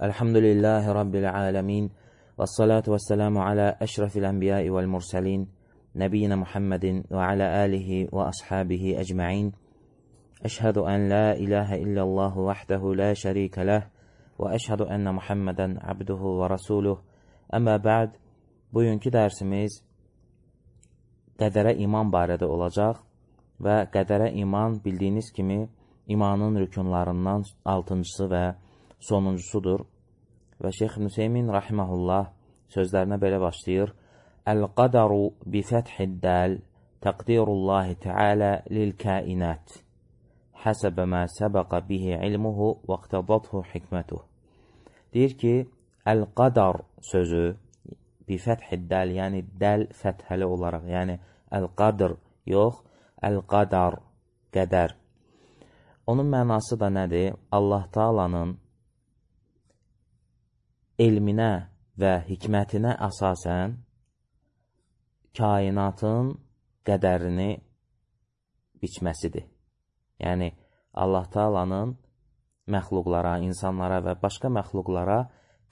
Elhamdülillahi Rabbil alemin. Və salatu və selamu alə əşrafil ənbiyai vəl mursəlin. Nəbiyyina Muhammedin və alə alihi və ashabihi əcma'in. Əşhədu ən la ilahə illəllahu vəhdəhu la şərikə ləh. Və əşhədu ənə Muhammedən abduhu və rasuluh. Əmmə bə'd, bugünkü dərsimiz qədərə iman barədə olacaq və qədərə iman bildiyiniz kimi imanın rükunlarından 6-cısı və sonuncusudur. Və Şeyx Nüseymin rahiməhullah sözlərinə belə başlayır. Əl-qadaru bi fəthid-dəl təqdirullahi teala lil-kainat həsəbə mə səbəqə bihi ilmuhu və iqtədathu hikmətuh. Deyir ki, əl-qadar sözü bi fəthid-dəl, yəni dəl fəthəli olaraq, yəni əl-qadr yox, əl-qadar, qədər. Onun mənası da nədir? Allah Taala'nın elminə və hikmətinə əsasən kainatın qədərini biçməsidir. Yəni, Allah Taala'nın məxluqlara, insanlara və başqa məxluqlara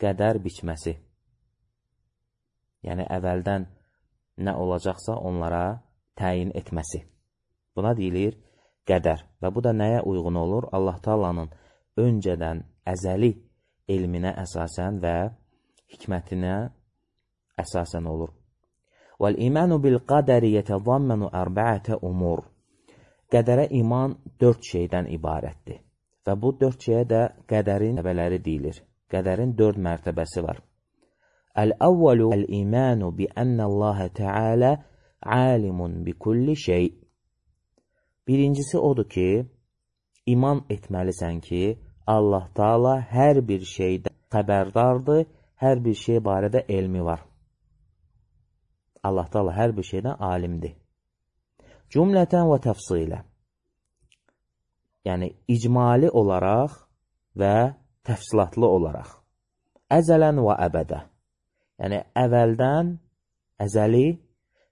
qədər biçməsi. Yəni, əvvəldən nə olacaqsa onlara təyin etməsi. Buna deyilir qədər. Və bu da nəyə uyğun olur? Allah Taala'nın öncədən əzəli elminə əsasən və hikmətinə əsasən olur. Vəl-imanu bil-qadəri yətəzammanu ərba'ətə umur. Qədərə iman 4 şeydən ibarətdir. Və bu 4 şeyə də qədərin mərtəbələri deyilir. Qədərin 4 mərtəbəsi var. Əl-əvvəlu əl-imanu bi-ənəlləhə tealə alimun bi kulli şey. Birincisi odur ki, iman etməlisən ki, Allah Taala hər bir şeydən xəbərdardır, hər bir şey barədə elmi var. Allah Taala hər bir şeydən alimdir. Cümlətən və təfsilə. Yəni, icmali olaraq və təfsilatlı olaraq. Əzələn və əbədə. Yəni, əvvəldən, əzəli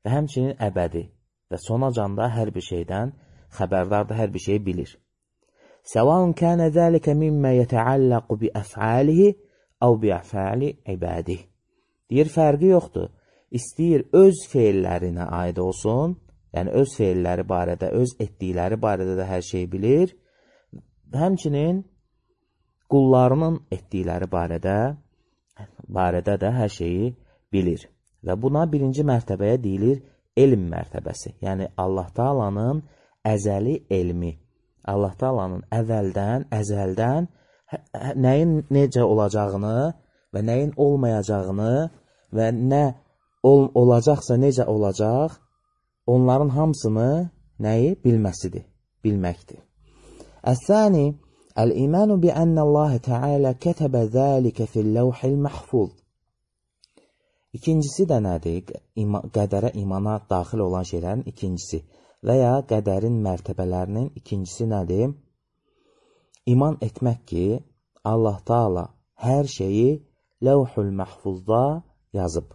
və həmçinin əbədi və sonacanda hər bir şeydən xəbərdardır, hər bir şeyi bilir. Səvaun kənə zəlikə mimmə yətəalləqu bi əfəalihi əv bi əfəali ibadih. Deyir, fərqi yoxdur. İstəyir öz feillərinə aid olsun, yəni öz feilləri barədə, öz etdikləri barədə də hər şey bilir. Həmçinin qullarının etdikləri barədə də hər şeyi bilir. Və buna birinci mərtəbəyə deyilir elm mərtəbəsi. Yəni, Allah Taala'nın əzəli elmi. Allah Taala'nın əzəldən nəyin necə olacağını və nəyin olmayacağını və nə olacaqsa necə olacaq, onların hamısını nəyi bilməsidir, bilməkdir. Əs-sani, əl-imanu bi ənəlləhə tealə kətəbə zəlikə fil-ləvhil məhfuz. İkincisi də nədir? Qədərə imana daxil olan şeylərin ikincisi və ya qədərin mərtəbələrinin ikincisi nədir? İman etmək ki, Allah Taala hər şeyi Ləvhul Məhfuzda yazıb.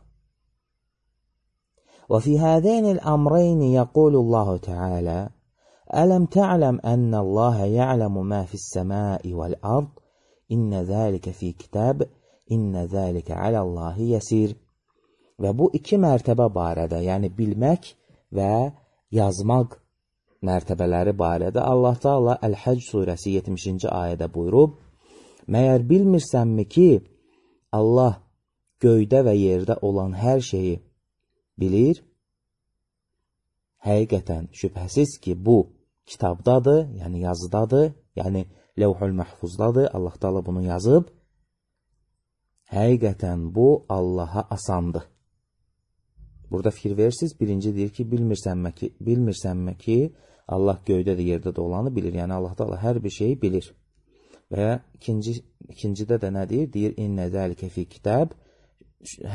Və fi hədəynil əmreyni yəqulullahu Teala Ələm tə'ləm ənəlləhə ya'ləmu mə fis-səmai vəl-ard innə zəlikə fi kitab innə zəlikə aləllahi yəsir. Və bu iki mərtəbə barədə, yəni bilmək və yazmaq mərtəbələri barədə Allah Taala Əl-Həcc surəsi 70-ci ayədə buyurub, məyər bilmirsənmi ki, Allah göydə və yerdə olan hər şeyi bilir? Həqiqətən, şübhəsiz ki, bu kitabdadır, yəni yazıdadır, yəni Ləvhul Məhfuzdadır, Allah Taala bunu yazıb. Həqiqətən, bu Allaha asandır. Burada fikir verirsiniz, birinci deyir ki, bilmirsənmi ki, Allah göydə də yerdə də olanı bilir. Yəni, Allah Taala hər bir şeyi bilir. Və ikincidə də nə deyir? Deyir, innə zəlikə fi kitab.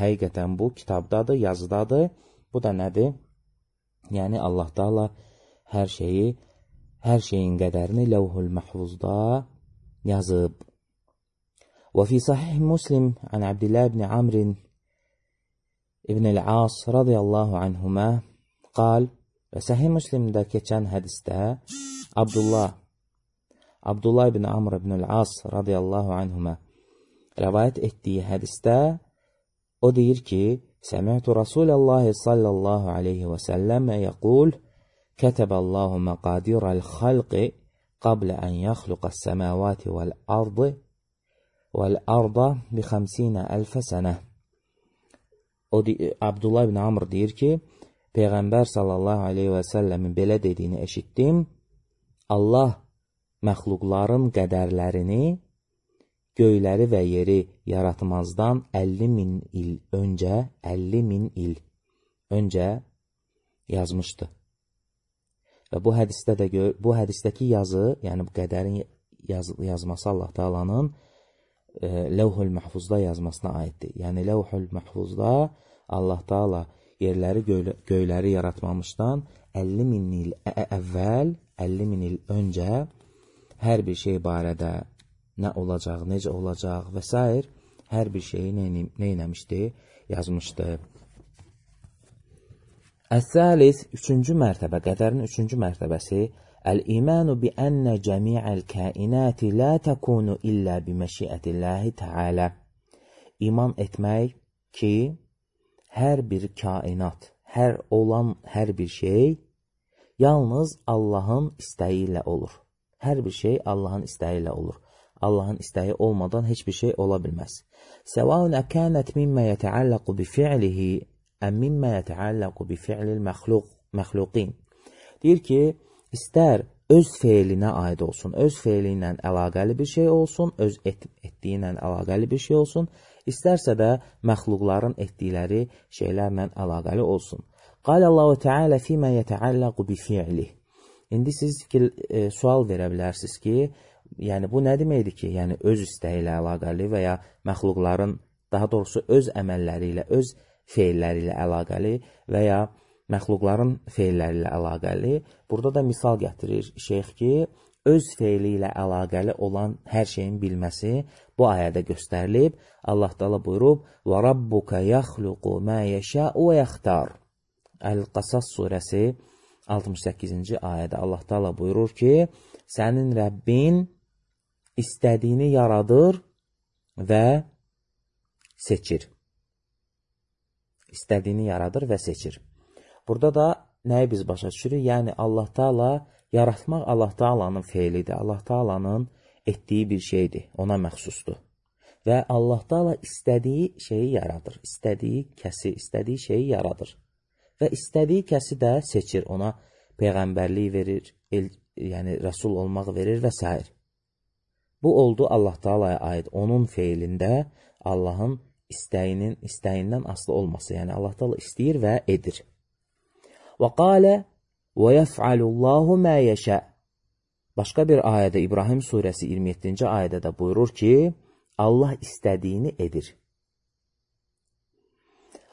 Həqiqətən bu kitabdadır, yazıdadır. Bu da nədir? Yəni, Allah Taala hər şeyin qədərini Ləvhul Məhfuzda yazıb. Və fi sahih Muslim an Abdillah ibn Amrin İbn el-As radiyallahu anhuma qal və Səhih Müslimdə keçən hədisdə Abdullah ibn Amr ibn el-As radiyallahu anhuma rəvayət etdiyi hədisdə o deyir ki, Səmi'tu Rasulallahi sallallahu aleyhi və səlləmə yəqul, Kətəbəllahu məqadirəl xalqi qablə ən yaxluqəs səməvati vəl-arda bi 50.000 sənə. Abdullah ibn Amr deyir ki, Peyğəmbər sallallahu aleyhi və səlləmin belə dediyini eşitdim. Allah məxluqların qədərlərini göyləri və yeri yaratmazdan 50.000 il öncə yazmışdı. Və bu hədisdəki yazı, yəni bu qədərin yazması Allah Taala'nın Levhul Mahfuzda yazmasına aiddir. Yəni Levhul Mahfuzda Allah Taala yerləri, göyləri yaratmamışdan 50.000 il əvvəl, 50.000 il öncə hər bir şey barədə nə olacaq, necə olacaq və s. hər bir şeyi neynəmişdi, yazmışdı. Əs-səlis, üçüncü mərtəbə, qədərin üçüncü mərtəbəsi, Əl-imanu bi ənə cəmi'əl kainati la təkunu illə bi məşiətilləhi təalə. İman etmək ki, hər bir kainat, hər bir şey yalnız Allahın istəyi ilə olur. Hər bir şey Allahın istəyi ilə olur. Allahın istəyi olmadan heç bir şey ola bilməz. Səvaun əkənət mimmə yətəalləqu bi fi'lihi əm mimmə yətəalləqu bi fi'lil məxluqin. Deyir ki, istər öz feilinə aid olsun, öz feili ilə əlaqəli bir şey olsun, öz etdiyi ilə əlaqəli bir şey olsun, istərsə də məxluqların etdikləri şeylərlə əlaqəli olsun. Qalallahu Teala fīmə yətəalləqu bi fi'lih. İndi siz sual verə bilərsiniz ki, yəni bu nə deməkdir ki, yəni öz istəyi ilə əlaqəli və ya məxluqların, daha doğrusu öz əməlləri ilə, öz feilləri ilə əlaqəli və ya məxluqların feilləri ilə əlaqəli. Burada da misal gətirir şeyx ki, öz feili ilə əlaqəli olan hər şeyin bilməsi bu ayədə göstərilib. Allah Taala buyurub: "Və rabbuka yaxluqu ma yəşə'u və yaxtar." Əl-Qasas surəsi 68-ci ayədə Allah Taala buyurur ki, sənin Rəbbin istədiyini yaradır və seçir. İstədiyini yaradır və seçir. Burada da nəyi biz başa düşürük? Yəni Allah Taala, yaratmaq Allah Taala'nın feilidir. Allah Taala'nın etdiyi bir şeydir, ona məxsusdur. Və Allah Taala istədiyi şeyi yaradır. İstədiyi kəsi, istədiyi şeyi yaradır. Və istədiyi kəsi də seçir. Ona peyğəmbərlik verir, yəni rəsul olmaq verir və s. Bu oldu Allah Taala'ya aid. Onun feilində Allahın istəyindən asılı olması. Yəni Allah Taala istəyir və edir. Və qalə və yəf'alullahu mə yəşə. Başqa bir ayədə, İbrahim surəsi 27-ci ayədə də buyurur ki, Allah istədiyini edir.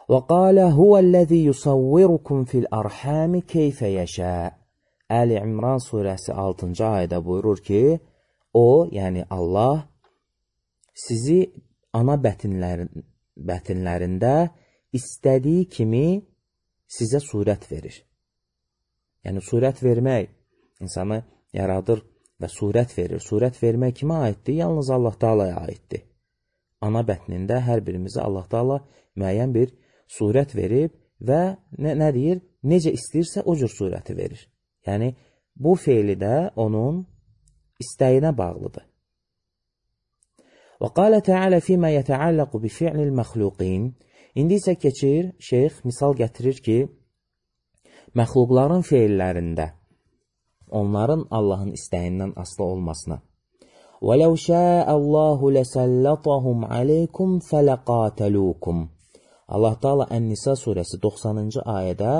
Və qalə huvəl-ləzi yusavvirukum fil-arhami keyfə yəşə. Əli İmran surəsi 6-cı ayədə buyurur ki, o, yəni Allah, sizi ana bətinlərində istədiyi kimi sizə surət verir. Yəni, surət vermək, insanı yaradır və surət verir. Surət vermək kimə aiddir? Yalnız Allah Taala'ya aiddir. Ana bətnində hər birimizə Allah Taala müəyyən bir surət verib və nə deyir? Necə istəyirsə o cür surəti verir. Yəni, bu feili də onun istəyinə bağlıdır. Və qalə Teala fīmə yətəalləqu bi fi'lil məxluqin. İndi isə keçir, şeyx misal gətirir ki, məxluqların feillərində onların Allahın istəyindən asılı olmasına. وَلَوْ شَاءَ اللّٰهُ لَسَلَّطَهُمْ عَلَيْكُمْ فَلَقَاتَلُوكُمْ. Allah Taala Ən-Nisa surəsi 90-cı ayədə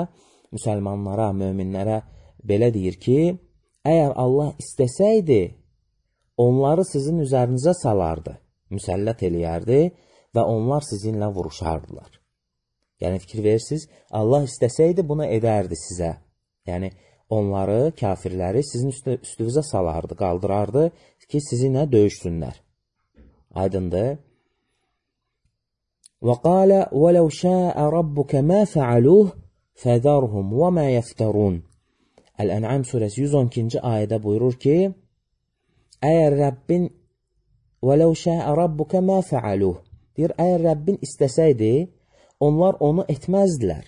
müsəlmanlara, möminlərə belə deyir ki, əgər Allah istəsəydi, onları sizin üzərinizə salardı, müsəllət eləyərdi və onlar sizinlə vuruşardılar. Yəni, fikir verirsiniz, Allah istəsəydi, bunu edərdi sizə. Yəni, onları, kafirləri sizin üstünüzə salardı, qaldırardı ki, sizinlə döyüşsünlər. Aydındır. وَقَالَ وَلَوْ شَاءَ رَبُّكَ مَا فَعَلُوهُ فَذَرْهُمْ وَمَا يَفْتَرُونَ. Əl-Ən'am surəsi 112-ci ayədə buyurur ki, əgər Rəbbin وَلَوْ شَاءَ رَبُّكَ مَا فَعَلُوهُ. Deyir, əgər Rəbbin istəsəydi, onlar onu etməzdilər.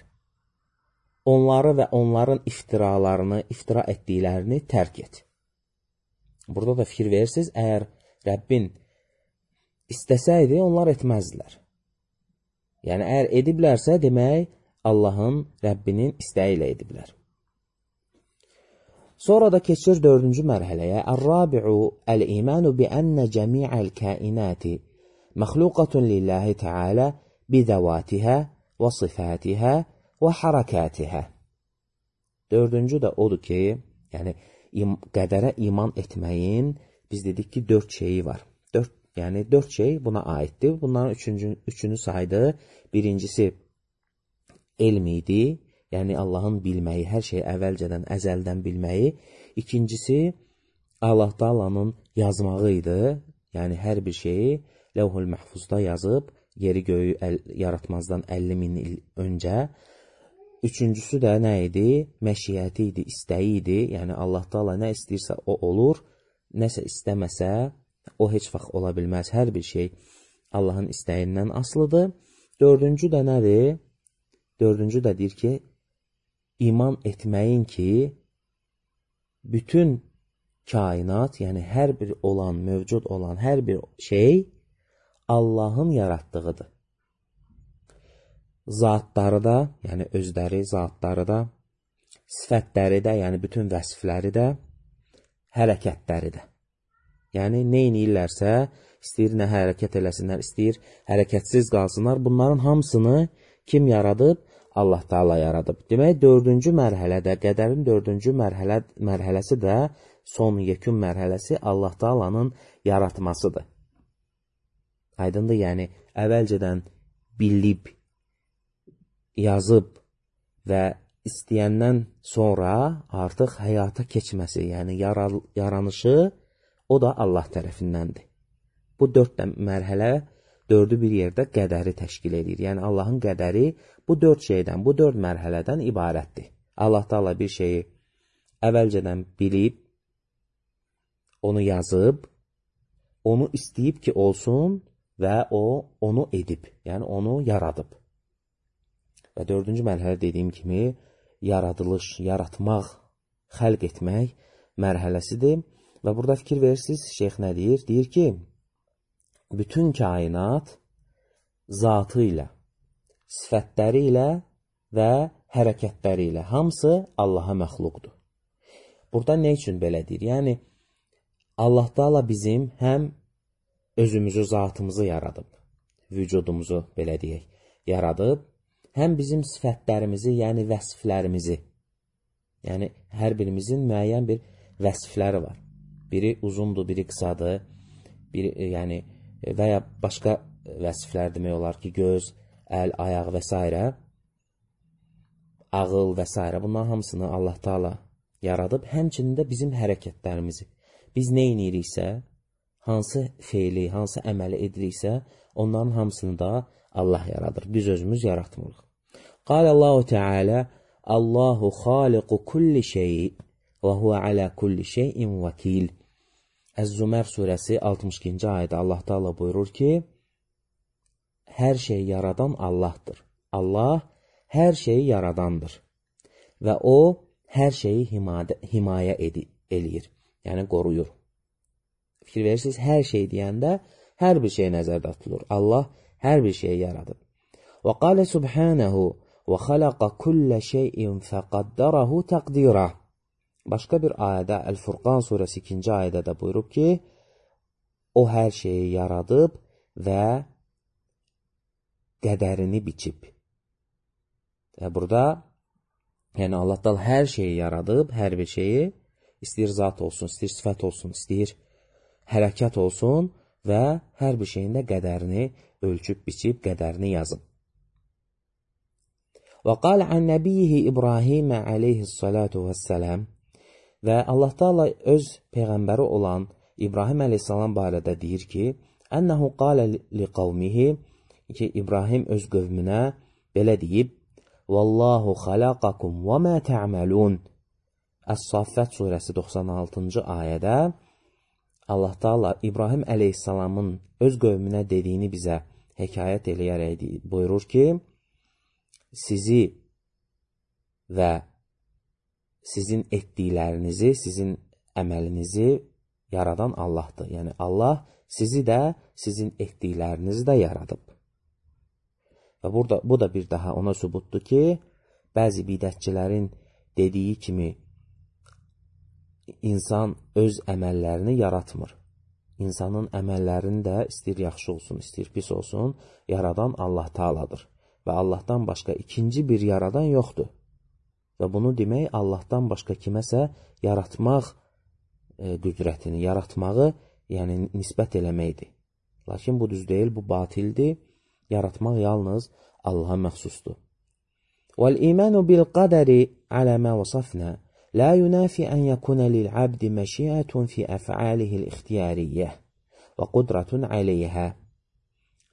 Onları və onların iftira etdiklərini tərk et. Burada da fikir verirsiniz, əgər Rəbbin istəsəydi, onlar etməzdilər. Yəni, əgər ediblərsə, demək, Allahın, Rəbbinin istəyi ilə ediblər. Sonra da keçir 4-cü mərhələyə. Ər-rabi'u əl-imanu bi-ənə cəmi'əl kainati məxluqatun lillahi teala bi-zəvatihə və sifatihə və harakatihə. 4-cü də odur ki, yəni, qədərə iman etməyin, biz dedik ki, 4 şeyi var. 4 şey buna aiddir. Bunların üçünü saydı. Birincisi elm idi, yəni Allahın bilməyi, hər şeyi əvvəlcədən, əzəldən bilməyi. İkincisi, Allah Taala'nın yazmağı idi, yəni hər bir şeyi Levh-ül Məhfuzda yazıb, yeri göyü yaratmazdan 50 min il öncə. Üçüncüsü də nə idi? Məşiyyəti idi, istəyi idi. Yəni Allah Taala nə istəyirsə o olur, nəsə istəməsə o heç vaxt ola bilməz. Hər bir şey Allahın istəyindən asılıdır. 4-cü də nədir? 4-cü də deyir ki, iman etməyin ki, bütün kainat, yəni hər bir olan, mövcud olan hər bir şey Allahın yaratdığıdır. Zatları da, yəni özləri, zatları da, sifətləri də, yəni bütün vəsifləri də, hərəkətləri də. Yəni, nə inirlərsə, istəyir nə hərəkət eləsinlər, istəyir hərəkətsiz qalsınlar. Bunların hamısını kim yaradıb? Allah Taala yaradıb. Demək, 4-cü mərhələdə, qədərin 4-cü mərhələsi də son yekun mərhələsi Allah Taala'nın yaratmasıdır. Aydındır, yəni, əvvəlcədən bilib, yazıb və istəyəndən sonra artıq həyata keçməsi, yəni yaranışı, o da Allah tərəfindəndir. Bu 4 mərhələ, 4-ü bir yerdə qədəri təşkil edir. Yəni, Allahın qədəri bu 4 şeydən, bu 4 mərhələdən ibarətdir. Allah Taala bir şeyi əvvəlcədən bilib, onu yazıb, onu istəyib ki, olsun və o, onu edib, yəni onu yaradıb. Və 4-cü mərhələ dediyim kimi, yaradılış, yaratmaq, xəlq etmək mərhələsidir. Və burada fikir verirsiniz, şeyx nə deyir? Deyir ki, bütün kainat zatı ilə, sifətləri ilə və hərəkətləri ilə hamısı Allaha məxluqdur. Burada nə üçün belə deyir? Yəni, Allah Taala bizim həm özümüzü, zatımızı yaradıb, vücudumuzu, belə deyək, yaradıb, həm bizim sifətlərimizi, yəni vəsiflərimizi, yəni hər birimizin müəyyən bir vəsifləri var. Biri uzundur, biri qısadır, yəni və ya başqa vəsiflər demək olar ki, göz, əl, ayaq və s. ağıl və s. Bunların hamısını Allah Taala yaradıb, həmçinin də bizim hərəkətlərimizi. Biz nə iniriksə, hansı feili, hansı əməli ediriksə, onların hamısını da Allah yaradır. Biz özümüz yaratmırıq. Qalallahu Teala, Allahu xaliqu kulli şeyi və huvə alə kulli şeyin vəkil. Əz-Zümər surəsi 62-ci ayədə Allah Taala buyurur ki, hər şeyi yaradan Allahdır. Allah hər şeyi yaradandır və o, hər şeyi himayə eləyir, yəni qoruyur. Fikir verirsiniz, hər şey deyəndə, hər bir şey nəzərdə tutulur. Allah hər bir şeyi yaradıb. Və qalə subhanəhu və xələqə kullə şeyin fəqəddərəhu təqdirə. Başqa bir ayədə, Əl-Furqan surəsi 2-ci ayədə də buyurub ki, o hər şeyi yaradıb və qədərini biçib. Və burada, yəni Allah Taala hər şeyi yaradıb, hər bir şeyi, istəyir zat olsun, istəyir sifət olsun, istəyir hərəkət olsun və hər bir şeyin də qədərini ölçüb, biçib, qədərini yazıb. Və qalə ən nəbiyyihi İbrahimə aleyhissalatu vəssələm. Və Allah Taala öz peyğəmbəri olan İbrahim əleyhissalam barədə deyir ki, ənəhu qalə li qavmihi, ki İbrahim öz qövmünə belə deyib, Vallahu xalaqakum və mə tə'məlun. Əs-Saffət surəsi 96-cı ayədə Allah Taala İbrahim əleyhissalamın öz qövmünə dediyini bizə hekayət eləyərək buyurur ki, sizi və sizin etdiklərinizi, sizin əməlinizi yaradan Allahdır. Yəni Allah sizi də, sizin etdiklərinizi də yaradıb. Və bu da bir daha ona sübutdur ki, bəzi bidətçilərin dediyi kimi insan öz əməllərini yaratmır. İnsanın əməllərini də istəyir yaxşı olsun, istəyir pis olsun, yaradan Allah Taaladır. Və Allahdan başqa ikinci bir yaradan yoxdur. Və bunu demək, Allahdan başqa kiməsə yaratmaq qüdrətini, yaratmağı, yəni nisbət eləməkdir. Lakin bu düz deyil, bu batildir. Yaratmaq yalnız Allaha məxsusdur. وَالْإِيمَانُ بِالْقَدَرِ عَلَى مَا وَصَفْنَا لَا يُنَافِي أَنْ يَكُونَ لِلْعَبْدِ مَشِيئَةٌ فِي أَفْعَالِهِ الْاِخْتِيَارِيَّةِ وَقُدْرَةٌ عَلَيْهَا.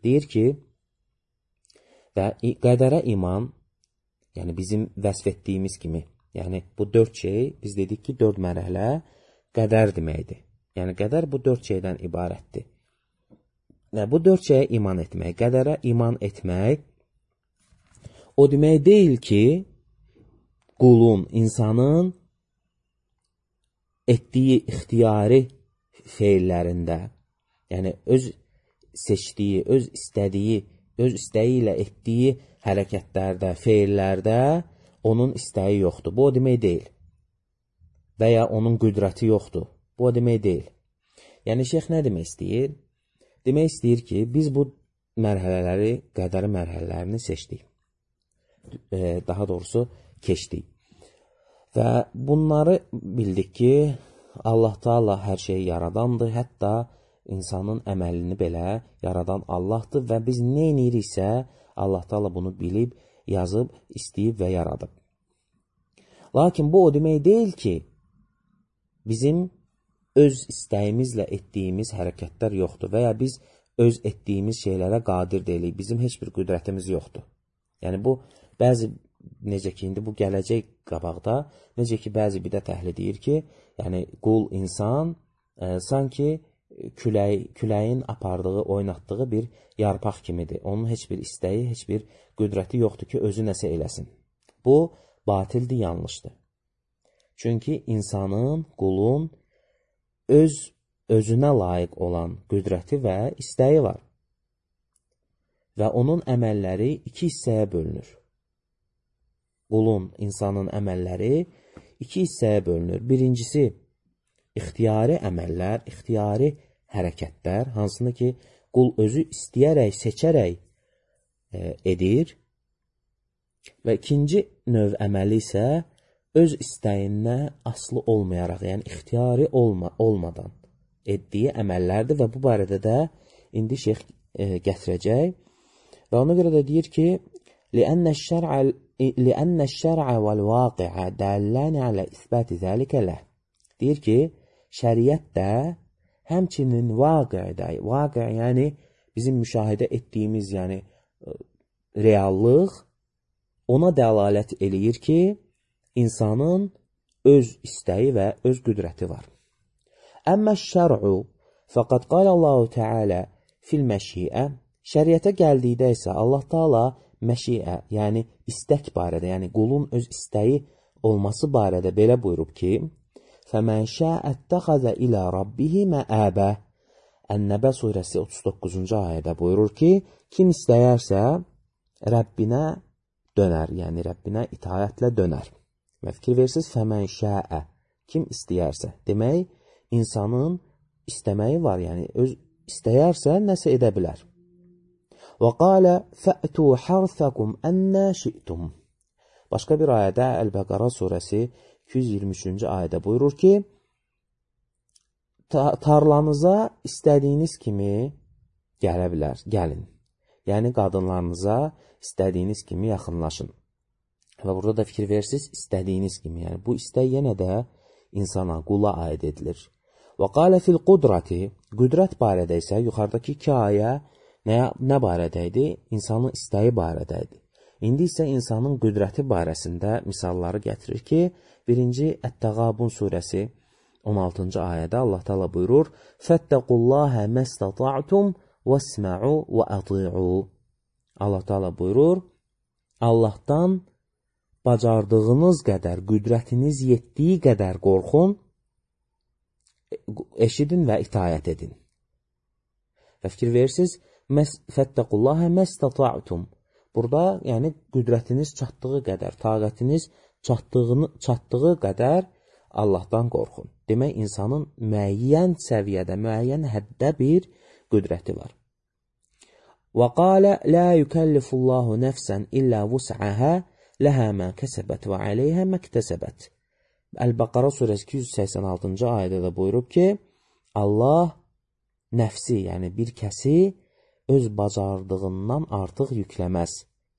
Deyir ki, və qədərə iman, yəni bizim vəsf etdiyimiz kimi, yəni bu 4 şey, biz dedik ki, 4 mərhələ qədər deməkdir. Yəni qədər bu 4 şeydən ibarətdir. Bu 4 şeyə iman etmək, qədərə iman etmək, o demək deyil ki, qulun, insanın etdiyi ixtiyari feillərində, yəni öz seçdiyi, öz istədiyi, öz istəyi ilə etdiyi hərəkətlərdə, feillərdə onun istəyi yoxdur. Bu o demək deyil. Və ya onun qüdrəti yoxdur. Bu o demək deyil. Yəni, şeyx nə demək istəyir? Demək istəyir ki, biz bu mərhələləri, qədəri mərhələlərini seçdik. Daha doğrusu, keçdik. Və bunları bildik ki, Allah Taala hər şeyi yaradandır, hətta insanın əməlini belə yaradan Allahdır və biz nə ediriksə, Allah Taala bunu bilib, yazıb, istəyib və yaradıb. Lakin bu o demək deyil ki, bizim öz istəyimizlə etdiyimiz hərəkətlər yoxdur və ya biz öz etdiyimiz şeylərə qadir deyilik, bizim heç bir qüdrətimiz yoxdur. Yəni bu, bəzi, necə ki, indi bu gələcək qabaqda, necə ki, bəzi bidət əhli deyir ki, yəni qul, insan, sanki küləyin apardığı, oynatdığı bir yarpaq kimidir. Onun heç bir istəyi, heç bir qüdrəti yoxdur ki, özü nəsə eləsin. Bu, batildir, yanlışdır. Çünki insanın, qulun özünə layiq olan qüdrəti və istəyi var. Və onun əməlləri 2 hissəyə bölünür. Qulun, insanın əməlləri 2 hissəyə bölünür. Birincisi, ixtiyari əməllər, ixtiyari hərəkətlər, hansını ki, qul özü istəyərək, seçərək edir. Və ikinci növ əməli isə öz istəyinə asılı olmayaraq, yəni ixtiyari olmadan etdiyi əməllərdir və bu barədə də indi şeyx gətirəcək. Və ona görə də deyir ki, لِأَنَّ الشَّرْعَ وَالْوَاقِعَ دَلَّانِ عَلَى إِثْبَاتِ ذَلِكَ لَهِ. Deyir ki, şəriət də həmçinin vaqi, yəni bizim müşahidə etdiyimiz, yəni reallıq ona dəlalət eləyir ki, insanın öz istəyi və öz qüdrəti var. Əmmə şər'u fəqad qalallahu Teala fil məşiə. Şəriətə gəldikdə isə Allah Taala məşiə, yəni istək barədə, yəni qulun öz istəyi olması barədə belə buyurub ki, فَمَنْ شَاءَ اتَّخَذَ إِلَى رَبِّهِ مَآبَ. Ən-Nəbə surəsi 39-cu ayədə buyurur ki, kim istəyərsə Rəbbinə dönər, yəni Rəbbinə itaətlə dönər. Və fikir versiniz, فَمَنْ شَاءَ, kim istəyərsə. Demək, insanın istəməyi var, yəni öz istəyərsə nəsə edə bilər. وَقَالَ فَأْتُوا حَرْثَكُمْ أَنَّا شِئْتُمْ. Başqa bir ayədə Əl-Bəqara surəsi 223-cü ayədə buyurur ki, tarlanıza istədiyiniz kimi gələ bilər, gəlin. Yəni, qadınlarınıza istədiyiniz kimi yaxınlaşın. Və burada da fikir verirsiniz, istədiyiniz kimi. Yəni, bu istək yenə də insana, qula aid edilir. وَقَالَ فِي الْقُدْرَةِ. Qüdrət barədə isə yuxarıdakı 2 ayə nə barədə idi? İnsanın istəyi barədə idi. İndi isə insanın qüdrəti barəsində misalları gətirir ki, 1-ci Ət-Təğabun surəsi 16-cı ayədə Allah Teala buyurur: "Fettaqullaha mastata'tum vesma'u ve ati'u." Allah Teala buyurur: Allahdan bacardığınız qədər, qüdrətiniz yetdiyi qədər qorxun, eşidin və itaət edin. Və fikir verirsiniz, "Fettaqullaha mastata'tum." Burada, yəni qüdrətiniz çatdığı qədər, taqətiniz çatdığı qədər Allahdan qorxun. Demək, insanın müəyyən səviyyədə, müəyyən həddə bir qüdrəti var. وَقَالَ لَا يُكَلِّفُ اللّٰهُ نَفْسًا إِلَّا وُسْعَهَا لَهَا مَا كَسَبَتْ وَعَلَيْهَا مَا اكْتَسَبَتْ. Əl-Bəqara surəsi 286-cı ayədə də buyurub ki, Allah nəfsi, yəni bir kəsi öz bacardığından artıq yükləməz.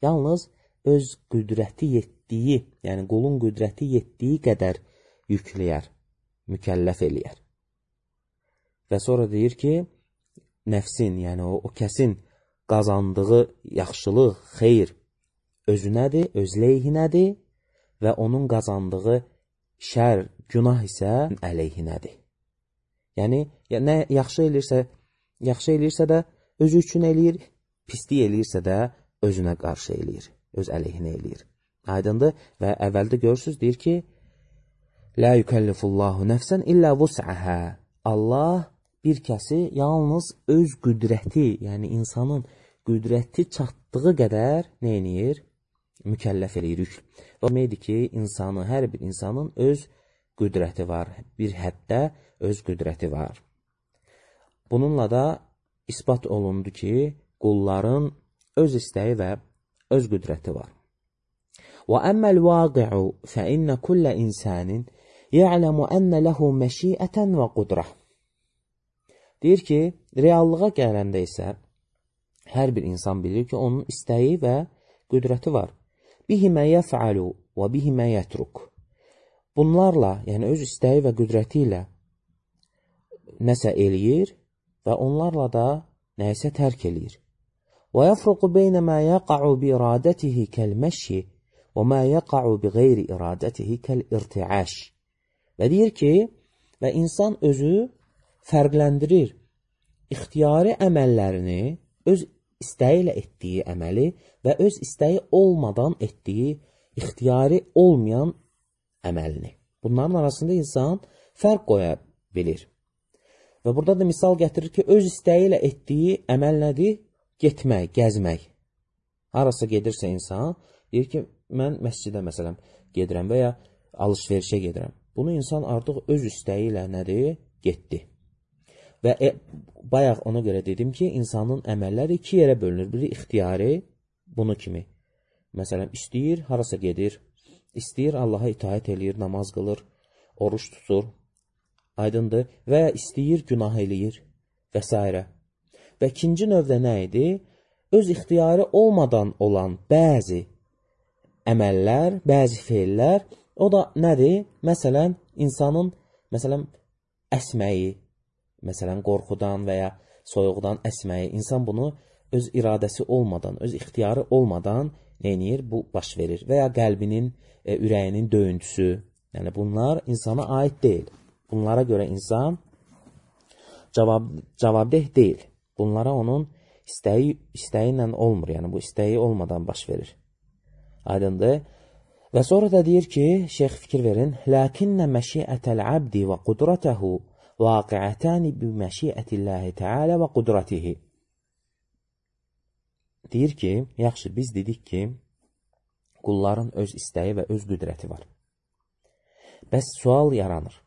Yalnız öz qüdrəti yetdiyi, yəni qulun qüdrəti yetdiyi qədər yükləyər, mükəlləf eləyər. Və sonra deyir ki, nəfsin, yəni o kəsin qazandığı yaxşılıq, xeyr özünədir, öz leyhinədir və onun qazandığı şər, günah isə əleyhinədir. Yəni, nə yaxşı eləyirsə də özü üçün eləyir, pislik eləyirsə də özünə qarşı eləyir, öz əleyhinə eləyir. Aydındır və əvvəldə görürsünüz, deyir ki, "Lə yükəllifullahu nəfsən illə vus'əhə." Allah bir kəsi yalnız öz qüdrəti, yəni insanın qüdrəti çatdığı qədər nə eləyir? Mükəlləf eləyir. O deməkdir ki, hər bir insanın öz qüdrəti var, bir həddə öz qüdrəti var. Bununla da isbat olundu ki, qulların öz istəyi və öz qüdrəti var. وَأَمَّا الْوَاقِعُ فَإِنَّ كُلَّ إِنسَانٍ يَعْلَمُ أَنَّ لَهُ مَشِيئَةً وَقُدْرَةً. Deyir ki, reallığa gələndə isə hər bir insan bilir ki, onun istəyi və qüdrəti var. بِهِمَا يَفْعَلُ وَبِهِمَا يَتْرُكُ. Bunlarla, yəni öz istəyi və qüdrəti ilə nəsə eləyir və onlarla da nəyisə tərk eləyir. وَيَفْرُقُ بَيْنَ مَا يَقَعُ بِإِرَادَتِهِ كَالْمَشِّ وَمَا يَقَعُ بِغَيْرِ إِرَادَتِهِ كَالْإِرْتِعَاشِ. Və deyir ki, və insan özü fərqləndirir ixtiyari əməllərini, öz istəyi ilə etdiyi əməli və öz istəyi olmadan etdiyi ixtiyari olmayan əməlini. Bunların arasında insan fərq qoya bilir. Və burada da misal gətirir ki, öz istəyi ilə etdiyi əməl nədir? Getmək, gəzmək. Harasa gedirsə insan, deyir ki, mən məscidə məsələn gedirəm və ya alış-verişə gedirəm. Bunu insan artıq öz istəyi ilə nədir? Getdi. Və bayaq ona görə dedim ki, insanın əməlləri iki yerə bölünür. Biri ixtiyari, bunu kimi. Məsələn, istəyir, harasa gedir, istəyir, Allaha itaət eləyir, namaz qılır, oruç tutur, aydındır, və ya istəyir, günah eləyir və s. Və ikinci növdə nə idi? Öz ixtiyarı olmadan olan bəzi əməllər, bəzi feillər, o da nədir? Məsələn, insanın əsməyi, məsələn, qorxudan və ya soyuqdan əsməyi, insan bunu öz iradəsi olmadan, öz ixtiyarı olmadan neynir? Bu baş verir. Və ya qəlbinin, ürəyinin döyüntüsü, yəni bunlar insana aid deyil. Bunlara görə insan cavabdeh deyil. Bunlara onun istəyi ilə olmur, yəni bu istəyi olmadan baş verir. Aydındır. Və sonra da deyir ki, şeyx fikir verin, "Lakinnə məşiətəl abdi və qudrətəhu vaqiətəni bi məşiətillahi Teala və qudratihi." Deyir ki, yaxşı, biz dedik ki, qulların öz istəyi və öz qüdrəti var. Bəs sual yaranır.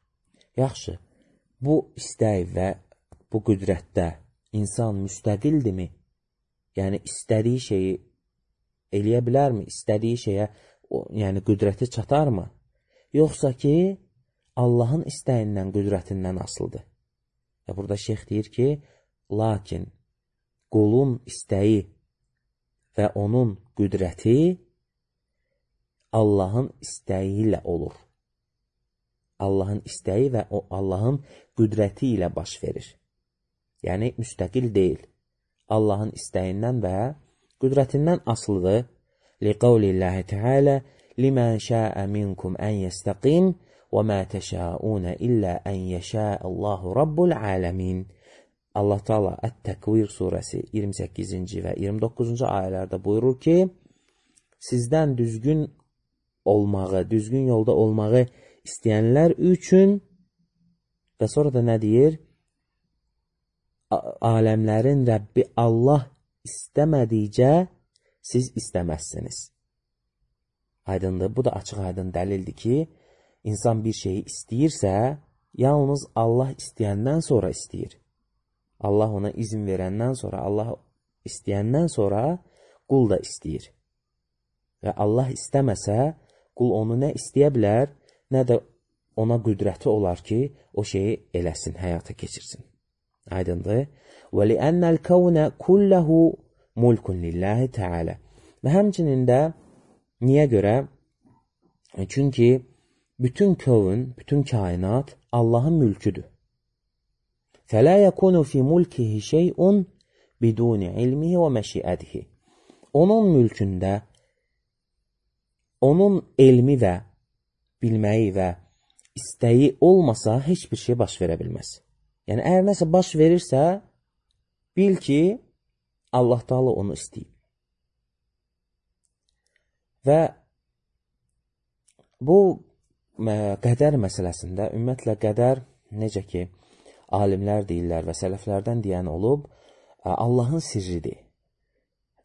Yaxşı, bu istək və bu qüdrətdə insan müstəqildirmi? Yəni, istədiyi şeyi eləyə bilərmi? İstədiyi şeyə, yəni qüdrəti çatarmı? Yoxsa ki, Allahın istəyindən, qüdrətindən asılıdır. Və burada şeyx deyir ki, lakin qulun istəyi və onun qüdrəti Allahın istəyi ilə olur. Allahın istəyi və Allahın qüdrəti ilə baş verir. Yəni, müstəqil deyil. Allahın istəyindən və qüdrətindən asılıdır. لِقَوْلِ اللّٰهِ تَعَالَى لِمَنْ شَاءَ مِنْكُمْ أَنْ يَسْتَقِيمِ وَمَا تَشَاءُونَ إِلَّا أَنْ يَشَاءَ اللّٰهُ رَبُّ الْعَالَمِينَ. Allah Teala Ət-Təkvir surəsi 28-ci və 29-cu ayələrdə buyurur ki, sizdən düzgün olmağı, düzgün yolda olmağı istəyənlər üçün və sonra da nə deyir? Aləmlərin Rəbbi Allah istəmədikcə siz istəməzsiniz. Aydındır, bu da açıq aydın dəlildir ki, insan bir şeyi istəyirsə, yalnız Allah istəyəndən sonra istəyir. Allah ona izin verəndən sonra, Allah istəyəndən sonra qul da istəyir. Və Allah istəməsə, qul onu nə istəyə bilər, nə də ona qüdrəti olar ki, o şeyi eləsin, həyata keçirsin. Aydındır. وَلِأَنَّ الْكَوْنَ كُلَّهُ مُلْكٌ لِلَّهِ تَعَالَى. Və həmçinin də niyə görə? Çünki bütün kövn, bütün kainat Allahın mülküdür. فَلَا يَكُونُ فِي مُلْكِهِ شَيْءٌ بِدُونِ عِلْمِهِ وَمَشِئَتِهِ. Onun mülkündə, onun elmi və bilməyi və istəyi olmasa heç bir şey baş verə bilməz. Yəni, əgər nəsə baş verirsə, bil ki, Allah Teala onu istəyib. Və bu qədər məsələsində, ümumiyyətlə qədər, necə ki, alimlər deyirlər və sələflərdən deyən olub, Allahın sirridir.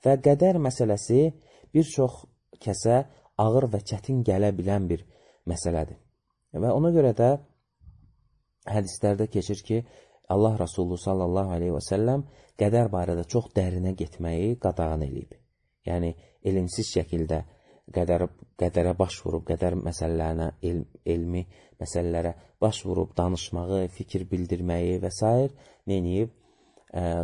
Və qədər məsələsi bir çox kəsə ağır və çətin gələ bilən bir məsələdir. Və ona görə də hədislərdə keçir ki, Allah Rasulü sallallahu aleyhi və səlləm qədər barədə çox dərinə getməyi qadağan edib. Yəni, elmsiz şəkildə qədərə baş vurub, qədər məsələlərinə, elmi məsələlərə baş vurub, danışmağı, fikir bildirməyi və s. neyiniyib,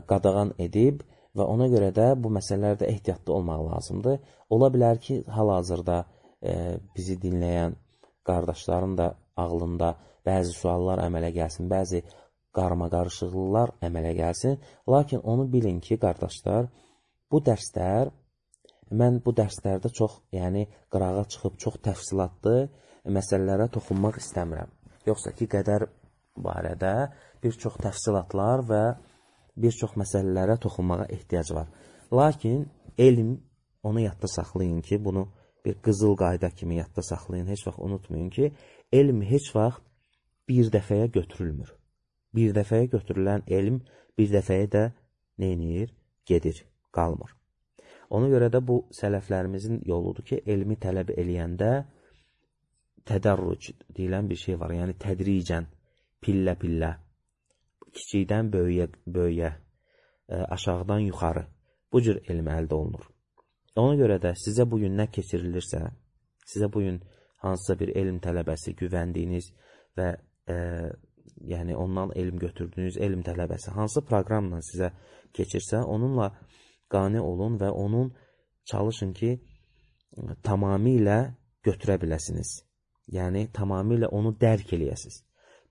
qadağan edib və ona görə də bu məsələlərdə ehtiyatlı olmaq lazımdır. Ola bilər ki, hal-hazırda bizi dinləyən qardaşların da ağlında bəzi suallar əmələ gəlsin, bəzi qarma-qarışıqlıqlar əmələ gəlsin. Lakin onu bilin ki, qardaşlar, bu dərslər, mən bu dərslərdə çox, yəni qırağa çıxıb çox təfsilatlı məsələlərə toxunmaq istəmirəm. Yoxsa ki, qədər barədə bir çox təfsilatlar və bir çox məsələlərə toxunmağa ehtiyac var. Lakin elm, onu yadda saxlayın ki, bunu bir qızıl qayda kimi yadda saxlayın, heç vaxt unutmayın ki, elm heç vaxt bir dəfəyə götürülmür. Bir dəfəyə götürülən elm bir dəfəyə də neynir? Gedir, qalmır. Ona görə də bu sələflərimizin yoludur ki, elmi tələb eləyəndə tədərruc deyilən bir şey var. Yəni tədricən, pillə-pillə, kiçikdən böyüyə, aşağıdan yuxarı bu cür elm əldə olunur. Ona görə də sizə bugün nə keçirilirsə, sizə bugün hansısa bir elm tələbəsi, güvəndiyiniz və yəni ondan elm götürdüyünüz elm tələbəsi hansı proqramla sizə keçirsə, onunla qane olun və onun çalışın ki, tamamilə götürə biləsiniz. Yəni, tamamilə onu dərk eləyəsiniz.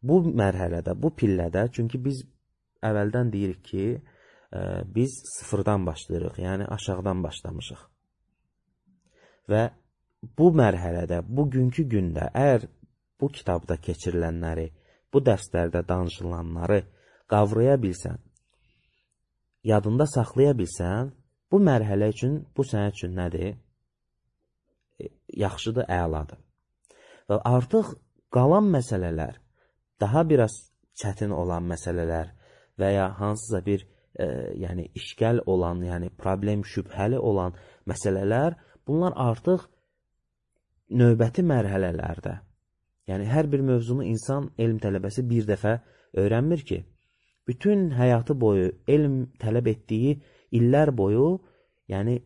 Bu mərhələdə, bu pillədə, çünki biz əvvəldən deyirik ki, biz sıfırdan başlayırıq, yəni aşağıdan başlamışıq. Və bu mərhələdə, bugünkü gündə, əgər bu kitabda keçirilənləri, bu dərslərdə danışılanları qavraya bilsən, yadında saxlaya bilsən, bu mərhələ üçün, bu sənə üçün nədir? Yaxşıdır, əladır. Və artıq qalan məsələlər, daha biraz çətin olan məsələlər və ya hansısa bir yəni işgəl olan, yəni problem şübhəli olan məsələlər, bunlar artıq növbəti mərhələlərdə. Yəni hər bir mövzunu insan, elm tələbəsi bir dəfə öyrənmir ki, bütün həyatı boyu elm tələb etdiyi illər boyu, yəni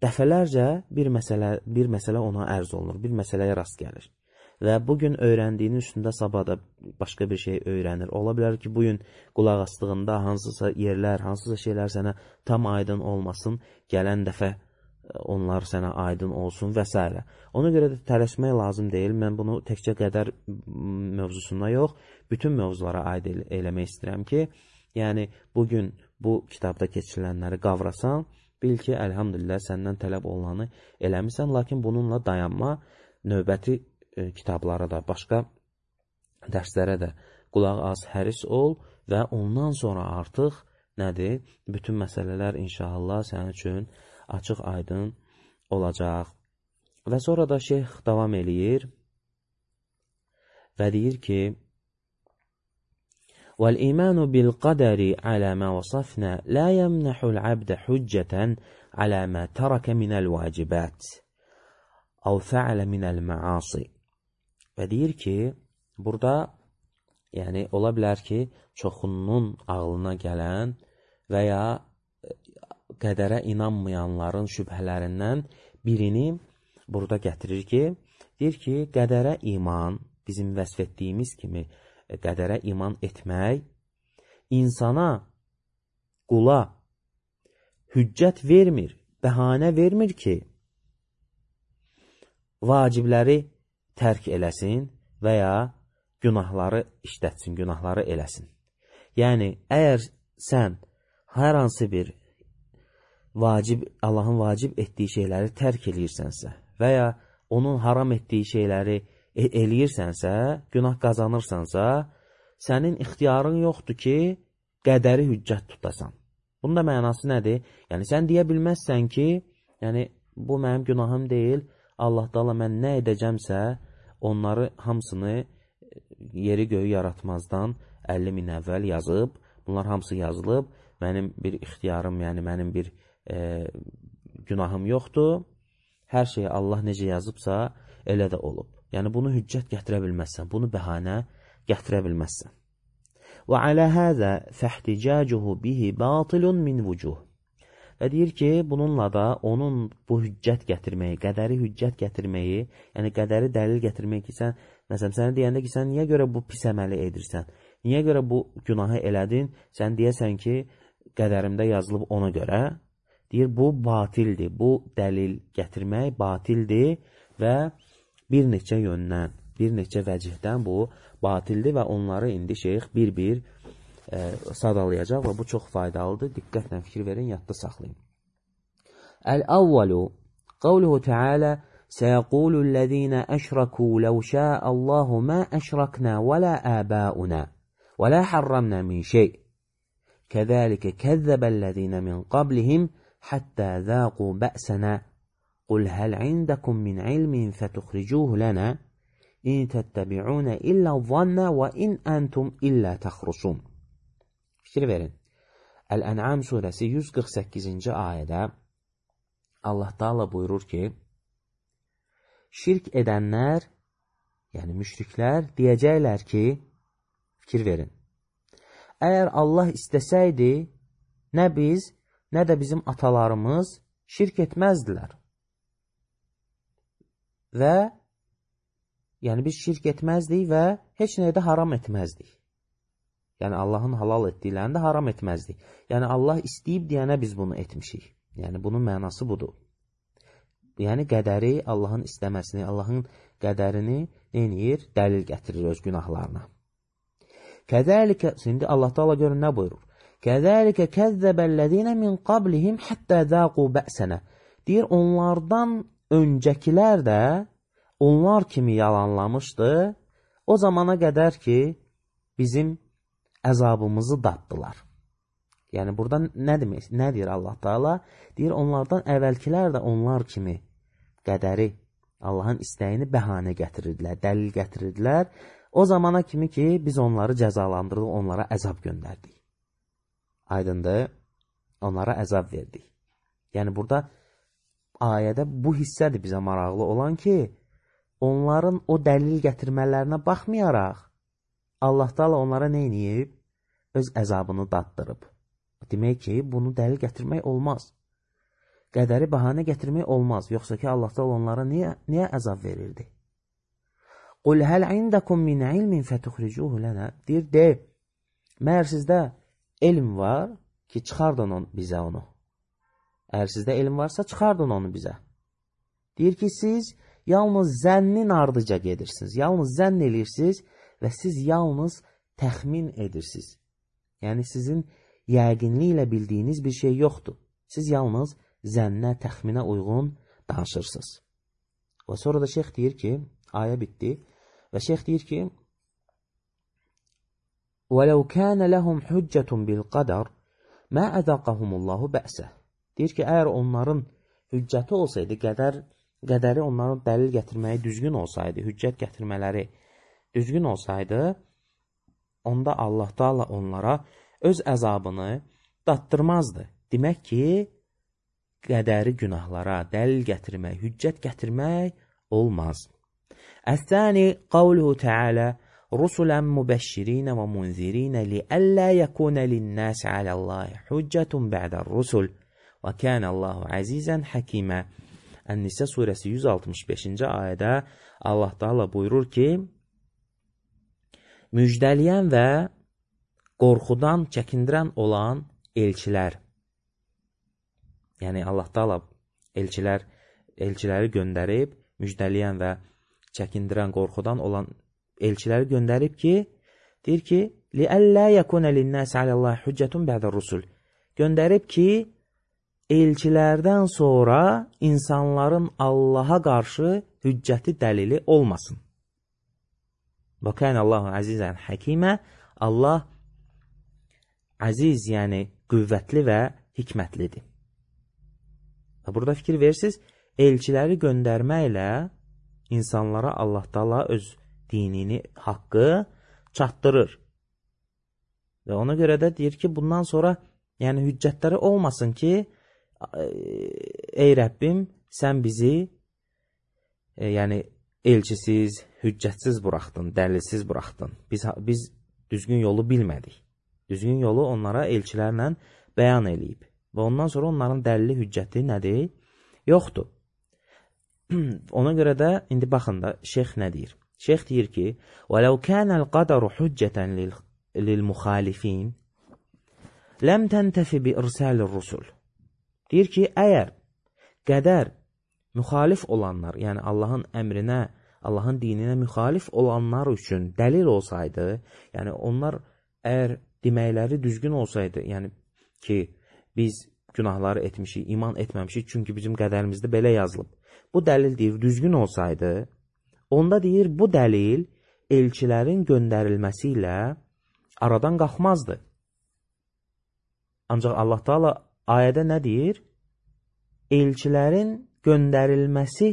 dəfələrcə bir məsələ ona ərz olunur, bir məsələyə rast gəlir. Və bugün öyrəndiyinin üstündə sabah da başqa bir şey öyrənir. Ola bilər ki, bugün qulaq astığında hansısa yerlər, hansısa şeylər sənə tam aydın olmasın, gələn dəfə onlar sənə aydın olsun və s. Ona görə də tələsmək lazım deyil. Mən bunu təkcə qədər mövzusunda yox, bütün mövzulara aid eləmək istəyirəm ki, yəni bugün bu kitabda keçirilənləri qavrasan, bil ki, əlhamdülillah səndən tələb olanı eləmirsən, lakin bununla dayanma, növbəti kitablara da, başqa dərslərə də qulaq az, həris ol və ondan sonra artıq nədir? Bütün məsələlər inşallah sənin üçün açıq aydın olacaq. Və sonra da şeyx davam eləyir və deyir ki, وَالْإِيمَانُ بِالْقَدَرِ عَلَى مَا وَصَفْنَا لَا يَمْنَحُ الْعَبْدَ حُجَّةً عَلَى مَا تَرَكَ مِنَ الْوَاجِبَاتِ أَوْ فَعَلَ مِنَ الْمَعَاصِ. Və deyir ki, burada yəni ola bilər ki, çoxunun ağlına gələn və ya qədərə inanmayanların şübhələrindən birini burada gətirir ki, deyir ki, qədərə iman, bizim vəsf etdiyimiz kimi qədərə iman etmək, insana, qula hüccət vermir, bəhanə vermir ki, vacibləri tərk eləsin və ya günahları işlətsin, günahları eləsin. Yəni, əgər sən hər hansı bir Allahın vacib etdiyi şeyləri tərk eləyirsənsə və ya onun haram etdiyi şeyləri eləyirsənsə, günah qazanırsansa, sənin ixtiyarın yoxdur ki, qədəri hüccət tutasan. Bunun da mənası nədir? Yəni, sən deyə bilməzsən ki, yəni, bu mənim günahım deyil, Allah da mən nə edəcəmsə, onları hamısını yeri göyü yaratmazdan 50 min əvvəl yazıb, bunlar hamısı yazılıb, mənim bir ixtiyarım, yəni mənim bir günahım yoxdur, hər şeyi Allah necə yazıbsa, elə də olub. Yəni, bunu hüccət gətirə bilməzsən, bunu bəhanə gətirə bilməzsən. وَعَلَى هَذَا فَاحْتِجَاجُهُ بِهِ بَاطِلٌ مِنْ وُجُهِ. Və deyir ki, bununla da onun bu hüccət gətirməyi, qədəri hüccət gətirməyi, yəni qədəri dəlil gətirməyi ki, sən, məsələn, sənə deyəndə ki, sən niyə görə bu pis əməli edirsən, niyə görə bu günahı elədin, sən deyəsən ki, qədərimdə yazılıb ona görə, deyir, bu batildir, bu dəlil gətirmək batildir və bir neçə yöndən, bir neçə vəcihdən bu batildir və onları indi şeyx bir-bir sadalayacaq və bu çox faydalıdır. Diqqətlə fikir verin, yadda saxlayın. Əl-əvvəlu, qavluhu Teala, سَيَقُولُ الَّذ۪ينَ أَشْرَكُوا لَوْ شَاءَ اللّٰهُ مَا أَشْرَكْنَا وَلَا آبَاؤُنَا وَلَا حَرَّمْنَا مِنْ شَيْءٍ كَذَلِكَ كَذَّبَ الَّذ۪ينَ مِنْ قَبْلِهِمْ حَتَّى ذَاقُوا بَأْسَنَا قُلْ هَلْ عِنْدَكُمْ مِنْ عِلْمٍ فَتُخْرِجُوهُ لَنَا إِنْ تَتَّبِعُونَ إِلَّا الظَّنَّ وَإِنْ أَنْتُمْ إِلَّا تَخْرُصُونَ. Fikir verin. Əl-Ən'am surəsi 148-ci ayədə Allah Teala buyurur ki, şirk edənlər, yəni müşriklər deyəcəklər ki, fikir verin, əgər Allah istəsəydi, nə biz, nə də bizim atalarımız şirk etməzdilər. Və, yəni biz şirk etməzdik və heç nəyə də haram etməzdik. Yəni Allahın halal etdiklərini də haram etməzdik. Yəni Allah istəyib deyənə biz bunu etmişik. Yəni bunun mənası budur. Yəni qədəri, Allahın istəməsini, Allahın qədərini neyir? Dəlil gətirir öz günahlarına. Kəzəlikə, şimdi Allah Teala görün nə buyurur? Kəzəlikə kəzzəbəllədinə min qablihim həttə zəqu bə'sənə. Deyir, onlardan öncəkilər də onlar kimi yalanlamışdı, o zamana qədər ki, bizim əzabımızı daddılar. Yəni, burada nə demək? Nə deyir Allah Teala? Deyir, onlardan əvvəlkilər də onlar kimi qədəri, Allahın istəyini bəhanə gətirirdilər, dəlil gətirirdilər. O zamana kimi ki, biz onları cəzalandırdık, onlara əzab göndərdik. Aydındır, onlara əzab verdik. Yəni, burada ayədə bu hissədir bizə maraqlı olan ki, onların o dəlil gətirmələrinə baxmayaraq, Allah Teala onlara nə edib? Öz əzabını daddırıb. Demək ki, bunu dəlil gətirmək olmaz. Qədəri bəhanə gətirmək olmaz. Yoxsa ki, Allah Teala onlara niyə əzab verirdi? Qul həl indəkum min ilmin fətuxricuhu lənə. Deyir, məhər sizdə elm var ki, çıxardın bizə onu. Əgər sizdə elm varsa, çıxardın onu bizə. Deyir ki, siz yalnız zənnin ardıca gedirsiniz. Yalnız zənn edirsiniz və siz yalnız təxmin edirsiniz. Yəni, sizin yəqinli ilə bildiyiniz bir şey yoxdur. Siz yalnız zənnə, təxminə uyğun danışırsınız. Və sonra da şeyx deyir ki, ayə bitdi və şeyx deyir ki, وَلَوْ كَانَ لَهُمْ حُجَّةٌ بِالْقَدَرِ مَا أَذَقَهُمُ اللّٰهُ بَأْسَهِ. Deyir ki, əgər onların hüccəti olsaydı, qədəri onların dəlil gətirməyi düzgün olsaydı, hüccət gətirmələri düzgün olsaydı, onda Allah Taala onlara öz əzabını dattırmazdı. Demək ki, qədəri günahlara dəlil gətirmək, hüccət gətirmək olmaz. Əs-sani qavluhu Teala rusulan mubəşşirin və munzirin liəllə yəkuna lin-nas aləllahi hüccətun ba'dər-rusul və kənəllahu əzizən həkimə. Ən-Nisa surəsi 165-ci ayədə Allah Taala buyurur ki, müjdələyən və qorxudan çəkindirən olan elçilər, yəni Allah Taala elçiləri göndərib, müjdələyən və çəkindirən, qorxudan olan elçiləri göndərib ki, deyir ki, liəllə yəkuna lin-nas aləllahi hüccətun ba'dər-rusul. Göndərib ki, elçilərdən sonra insanların Allaha qarşı hüccəti dəlili olmasın. Və kənəllahu əzizən həkimə. Allah əziz, yəni qüvvətli və hikmətlidir. Və burada fikir verirsiniz, elçiləri göndərməklə insanlara Allah Taala öz dinini, haqqı çatdırır. Və ona görə də deyir ki, bundan sonra yəni hüccətləri olmasın ki, ey Rəbbim, sən bizi yəni elçisiz, hüccətsiz buraxdın, dəlilsiz buraxdın. Biz düzgün yolu bilmədik. Düzgün yolu onlara elçilərlə bəyan eləyib. Və ondan sonra onların dəlili, hüccəti nədir? Yoxdur. Ona görə də indi baxın da şeyx nə deyir? Şeyx deyir ki, وَلَوْ كَانَ الْقَدَرُ حُجَّةً لِلْمُخَالِفِينَ لَمْ تَنْتَفِ بِإِرْسَالِ الرُّسُلِ. Deyir ki, əgər qədər müxalif olanlar, yəni Allahın əmrinə, Allahın dininə müxalif olanlar üçün dəlil olsaydı, yəni onlar əgər deməkləri düzgün olsaydı, yəni ki, biz günahları etmişik, iman etməmişik, çünki bizim qədərimizdə belə yazılıb. Bu dəlil deyir, düzgün olsaydı, onda deyir, bu dəlil elçilərin göndərilməsi ilə aradan qalxmazdı. Ancaq Allah Taala ayədə nə deyir? Elçilərin göndərilməsi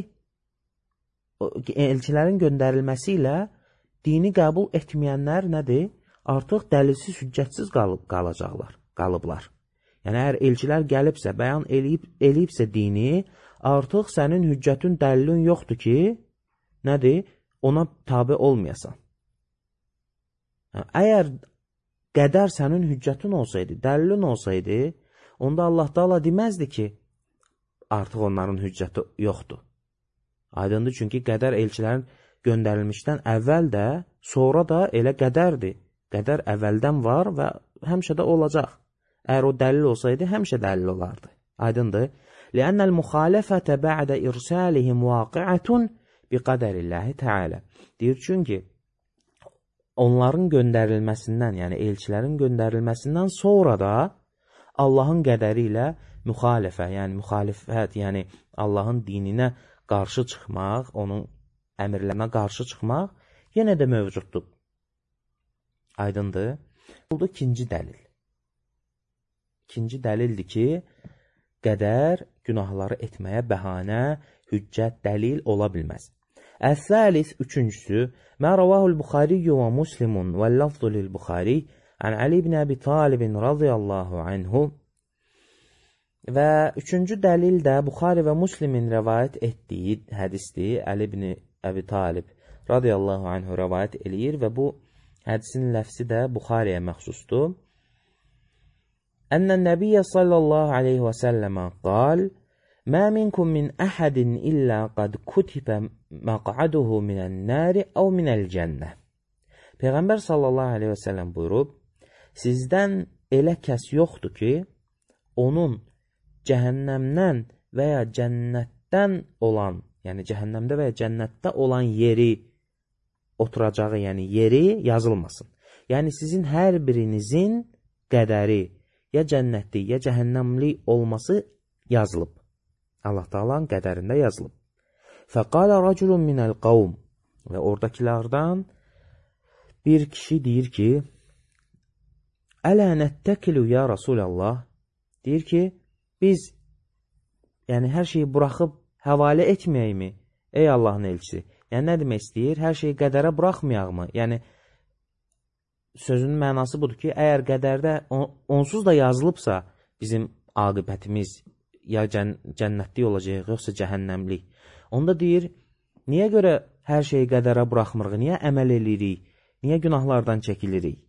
ilə dini qəbul etməyənlər nədir? Artıq dəlilsiz, hüccətsiz qalıblar. Yəni, əgər elçilər gəlibsə, bəyan eləyibsə dini, artıq sənin hüccətin, dəlilin yoxdur ki, nədir? Ona tabi olmayasan. Əgər qədər sənin hüccətin olsaydı, dəlilin olsaydı, onda Allah Taala deməzdi ki, artıq onların hüccəti yoxdur. Aydındır, çünki qədər elçilərin göndərilmişdən əvvəl də, sonra da elə qədərdir. Qədər əvvəldən var və həmişə də olacaq. Əgər o dəlil olsaydı, həmişə dəlil olardı. Aydındır. لِأَنَّ الْمُخَالَفَةَ بَعْدَ إِرْسَالِهِمْ وَاقِعَةٌ بِقَدَرِ اللّٰهِ تَعَالَى. Deyir, çünki onların göndərilməsindən, yəni elçilərin göndərilməsindən sonra da Allahın qədəri ilə müxalifət, yəni Allahın dininə qarşı çıxmaq, onun əmrlərinə qarşı çıxmaq yenə də mövcuddur. Aydındır. Bu da ikinci dəlil. İkinci dəlildir ki, qədər günahları etməyə bəhanə, hüccət, dəlil ola bilməz. Əs-səlis, üçüncüsü, mə rəvahul Buxariyyu və Muslimun və lafzu lil-Buxari ən Ali ibn Əbi Talibin radiyallahu anhu. Və üçüncü dəlil də Buxari və Muslimin rəvayət etdiyi hədisdir. Ali ibn Əbi Talib radiyallahu anhu rəvayət eləyir və bu hədisin ləfsi də Buxariyə məxsusdur. Ənnən Nəbiyyə sallallahu aleyhi və səlləmə qal, mə minkum min əhədin illə qad kutibə məqaduhu minən nəri əv minəl cənnə. Peyğəmbər sallallahu aleyhi və səlləm buyurub, sizdən elə kəs yoxdur ki, onun cəhənnəmdən və ya cənnətdən olan, yəni cəhənnəmdə və ya cənnətdə olan yeri oturacağı, yəni yeri yazılmasın. Yəni sizin hər birinizin qədəri ya cənnətli, ya cəhənnəmli olması yazılıb. Allah Taala'nın qədərində yazılıb. Fəqalə raculun minəl qavm. Və oradakilərdən bir kişi deyir ki, Ələ nəttəkilu ya Rasulallah, deyir ki, biz yəni hər şeyi buraxıb həvalə etməyəkmi, ey Allahın elçisi? Yəni, nə demək istəyir? Hər şeyi qədərə buraxmayaq mı? Yəni, sözünün mənası budur ki, əgər qədərdə onsuz da yazılıbsa bizim aqibətimiz ya cənnətlik olacaq, yoxsa cəhənnəmlik. Onda deyir, niyə görə hər şeyi qədərə buraxmırıq, niyə əməl edirik, niyə günahlardan çəkinirik?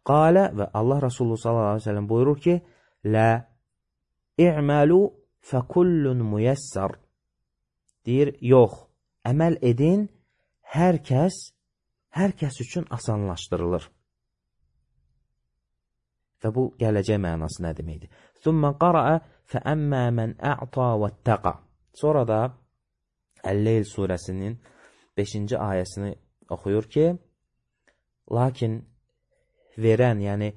Qalə və Allah Resulü sallallahu aleyhi ve sellem buyurur ki, lə i'məlu fəkullun müyəssər. Deyir, yox, əməl edin, hər kəs üçün asanlaşdırılır. Və bu gələcək mənası nə deməkdir? Thumma qara'a fəəmmə mən ə'ta və təqa. Sonra da Əl-Leyl surəsinin 5-ci ayəsini oxuyur ki, lakin verən, yəni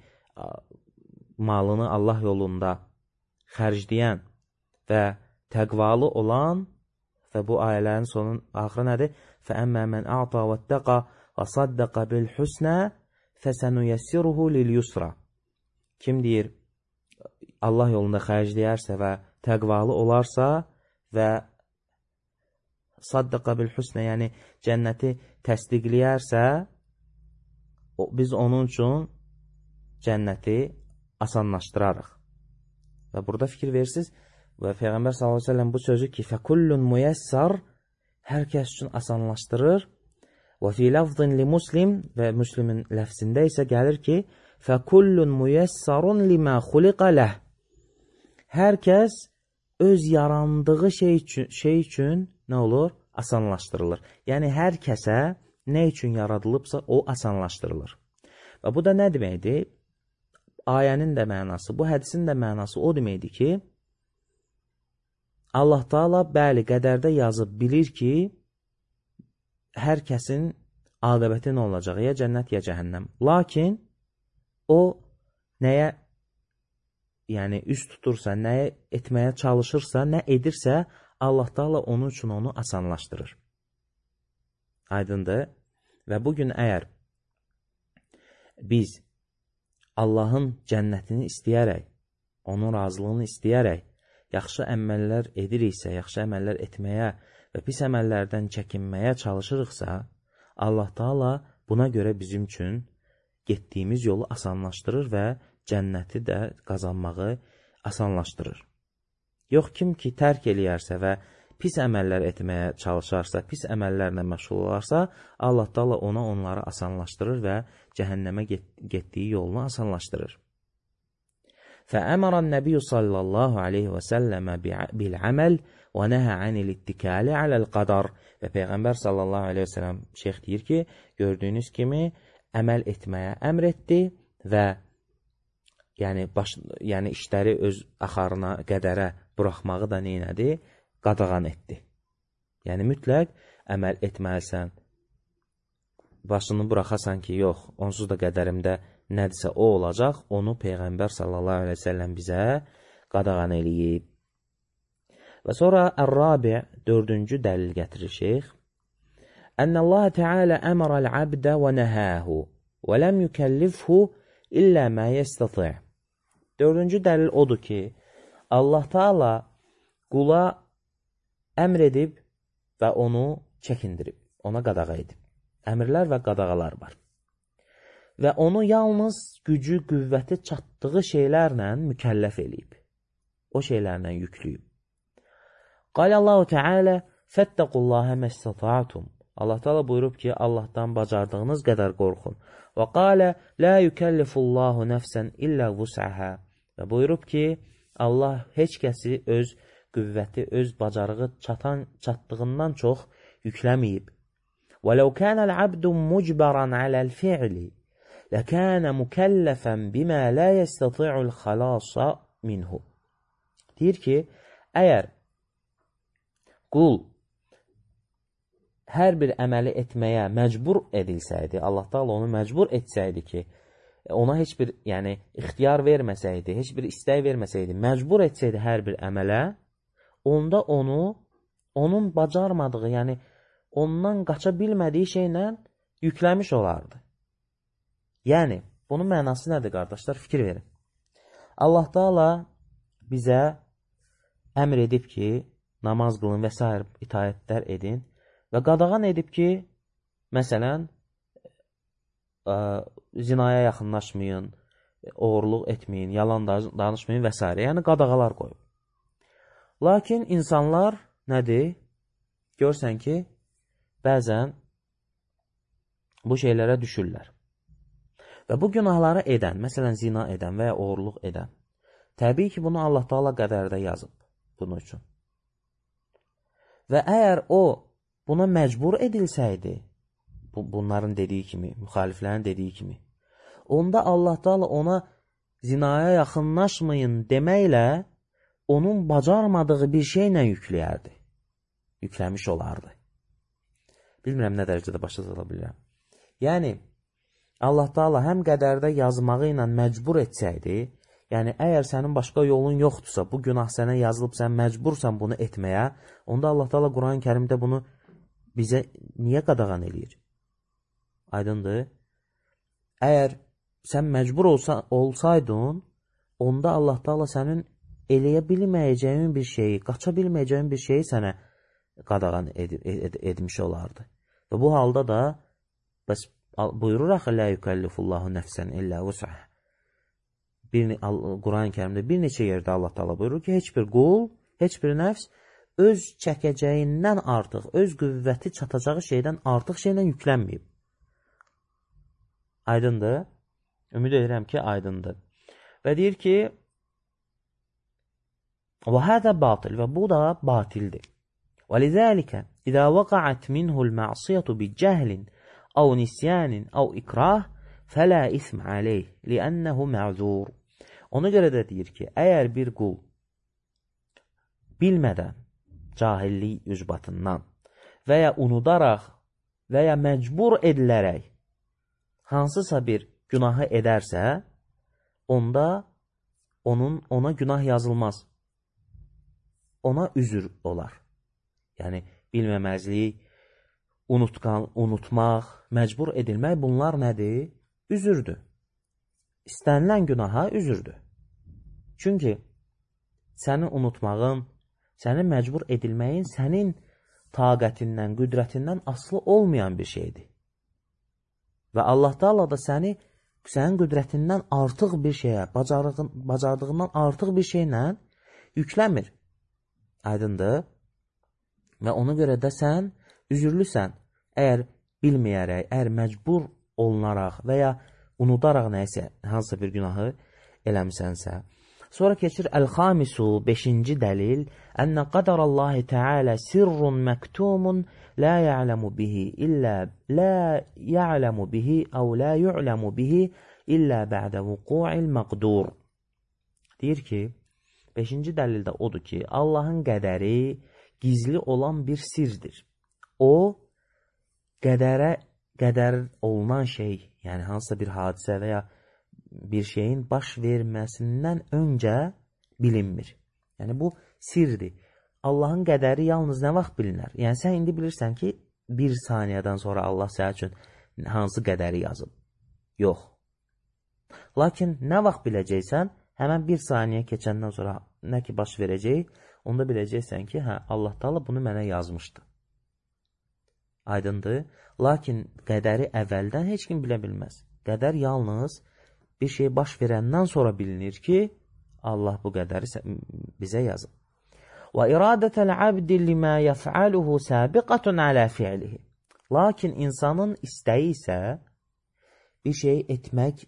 malını Allah yolunda xərcləyən və təqvalı olan və bu ayələrin sonun axırı nədir? Fəəmmə mən ə'ta və təqa və saddəqa bil husnə fəsənüyəssiruhu lil yusra. Kim deyir, Allah yolunda xərcləyərsə və təqvalı olarsa və saddəqa bil husnə, yəni cənnəti təsdiqləyərsə, biz onun üçün cənnəti asanlaşdırarıq. Və burada fikir versiniz və Peyğəmbər sallallahu əleyhi və səlləm bu sözü ki, fəkullun müyəssər, hər kəs üçün asanlaşdırır. Və fi lafzin li muslim, və Müslimin ləfzində isə gəlir ki, fəkullun müyəssərun limə xuliqə ləh. Hər kəs öz yarandığı şey üçün nə olur? Asanlaşdırılır. Yəni, hər kəsə nə üçün yaradılıbsa, o asanlaşdırılır. Və bu da nə deməkdir? Ayənin də mənası, bu hədisin də mənası o deməkdir ki, Allah Taala bəli, qədərdə yazıb bilir ki, hər kəsin aqibəti nə olacaq? Ya cənnət, ya cəhənnəm. Lakin o nəyə üst tutursa, nəyə etməyə çalışırsa, nə edirsə, Allah Taala onun üçün onu asanlaşdırır. Aydındır? Və bugün əgər biz Allahın cənnətini istəyərək, onun razılığını istəyərək, yaxşı əməllər ediriksə, yaxşı əməllər etməyə və pis əməllərdən çəkinməyə çalışırıqsa, Allah Taala buna görə bizim üçün getdiyimiz yolu asanlaşdırır və cənnəti də qazanmağı asanlaşdırır. Yox, kim ki tərk eləyərsə və pis əməllər etməyə çalışarsa, pis əməllərlə məşğul olarsa, Allah Taala onları asanlaşdırır və cəhənnəmə getdiyi yolunu asanlaşdırır. Fəəmərən nəbiyyü sallallahu aleyhi və səlləmə bil-əməl və nəhə anil-ittikali aləl-qadar. Və Peyğəmbər sallallahu aleyhi və səlləm şeyx deyir ki, gördüyünüz kimi əməl etməyə əmr etdi və yəni işləri öz axarına, qədərə buraxmağı da neynədi? Qadağan etdi. Yəni mütləq əməl etməlisən, başını buraxasan ki, yox, onsuz da qədərimdə nədirsə o olacaq, onu Peyğəmbər sallallahu aleyhi ve sellem bizə qadağan eləyib. Və sonra Ər-Rabi' 4-cü dəlil gətirir şeyx. Ənəlləhə Teala əmərəl abdə və nəhəhu və ləm yükəllifhu illə mə yəstəti'. 4-cü dəlil odur ki, Allah Teala qula əmr edib və onu çəkindirib, ona qadağa edib. Əmrlər və qadağalar var. Və onu yalnız gücü, qüvvəti çatdığı şeylərlə mükəlləf eləyib. O şeylərlə yüklüyüb. Qalallahu Teala fəttəqullahə məstəta'tum. Allah Teala buyurub ki, Allahdan bacardığınız qədər qorxun. Və qalə la yükəllifullahu nəfsən illə vus'əhə. Və buyurub ki, Allah heç kəsi öz qüvvəti, öz bacarığı çatdığından çox yükləməyib. وَلَوْ كَانَ الْعَبْدُ مُجْبَرًا عَلَى الْفِعْلِ لَكَانَ مُكَلَّفًا بِمَا لَا يَسْتَطِعُ الْخَلَاصَ مِنْهُ. Deyir ki, əgər qul hər bir əməli etməyə məcbur edilsəydi, Allah Taala onu məcbur etsəydi ki, ona heç bir ixtiyar verməsəydi, heç bir istək verməsəydi, məcbur etsəydi hər bir əmələ, onda onun bacarmadığı, ondan qaça bilmədiyi şeylə yükləmiş olardı. Yəni, bunun mənası nədir, qardaşlar? Fikir verin. Allah Taala bizə əmr edib ki, namaz qılın və s. itaətlər edin və qadağan edib ki, məsələn, zinaya yaxınlaşmayın, oğurluq etməyin, yalan danışmayın və s. Yəni, qadağalar qoyub. Lakin insanlar nədir? Görsən ki, bəzən bu şeylərə düşürlər. Və bu günahları edən, məsələn, zina edən və ya oğurluq edən, təbii ki, bunu Allah Taala qədərdə yazıb bunun üçün. Və əgər o buna məcbur edilsəydi, bunların dediyi kimi, müxaliflərin dediyi kimi, onda Allah Taala ona zinaya yaxınlaşmayın deməklə onun bacarmadığı bir şeylə yükləyərdi. Yükləmiş olardı. Bilmirəm nə dərəcədə başa sala bilirəm. Yəni, Allah Taala həm qədərdə yazmağı ilə məcbur etsəydi, yəni əgər sənin başqa yolun yoxdursa, bu günah sənə yazılıb, sən məcbursan bunu etməyə, onda Allah Taala Quran-ı Kərimdə bunu bizə niyə qadağan eləyir? Aydındır? Əgər sən məcbur olsaydın, onda Allah Taala sənin eləyə bilməyəcəyin bir şeyi, qaça bilməyəcəyin bir şeyi sənə qadağan etmiş olardı. Və bu halda da bəs buyurur axı la yukellifullahu nəfsən illə vus'aha. Quran-ı Kərimdə bir neçə yerdə Allah Taala buyurur ki, heç bir qul, heç bir nəfs öz çəkəcəyindən artıq, öz qüvvəti çatacağı şeydən artıq şeylə yüklənməyib. Aydındır? Ümid edirəm ki, aydındır. Və deyir ki, və hədə batil, və bu da batildir. وَلِذَٰلِكَ إِذَا وَقَعَتْ مِنْهُ الْمَعْصِيَةُ بِجَهْلٍ أَوْ نِسْيَانٍ أَوْ إِكْرَاهٍ فَلَا إِثْمَ عَلَيْهِ لِأَنَّهُ مَعْذُورٌ. Ona görə də deyir ki, əgər bir qul bilmədən, cahillik ücbatından və ya unudaraq və ya məcbur edilərək hansısa bir günahı edərsə, onda ona günah yazılmaz. Ona üzür olar. Yəni, bilməməzlik, unutmaq, məcbur edilmək, bunlar nədir? Üzürdür. İstənilən günaha üzürdür. Çünki səni unutmağın, səni məcbur edilməyin sənin taqətindən, qüdrətindən asılı olmayan bir şeydir. Və Allah Taala da sənin qüdrətindən artıq bir şeyə, bacardığından artıq bir şeylə yükləmir. Aydındır? Və ona görə də sən üzürlüsən. Əgər bilməyərək, əgər məcbur olunaraq və ya unudaraq nəysə, hansısa bir günahı eləmisənsə. Sonra keçir Əl-Xamisu, 5-ci dəlil. Ənə qədərallahi Teala sirrun məktumun la ya'lamu bihi əv la yu'lamu bihi illə bə'də vuqu'il məqdur. Deyir ki, 5-ci dəlildə odur ki, Allahın qədəri gizli olan bir sirdir. O, qədər olunan şey, yəni hansısa bir hadisə və ya bir şeyin baş verməsindən öncə bilinmir. Yəni, bu sirdir. Allahın qədəri yalnız nə vaxt bilinər? Yəni, sən indi bilirsən ki, bir saniyədən sonra Allah sənə üçün hansı qədəri yazıb? Yox. Lakin nə vaxt biləcəksən, həmən bir saniyə keçəndən sonra nə ki baş verəcək, onda biləcəksən ki, Allah Taala bunu mənə yazmışdı. Aydındır? Lakin qədəri əvvəldən heç kim bilə bilməz. Qədər yalnız bir şey baş verəndən sonra bilinir ki, Allah bu qədəri bizə yazıb. Və iradətəl abdi limə yəf'aluhu səbiqətun alə fi'lihi. Lakin insanın istəyi isə, bir şey etmək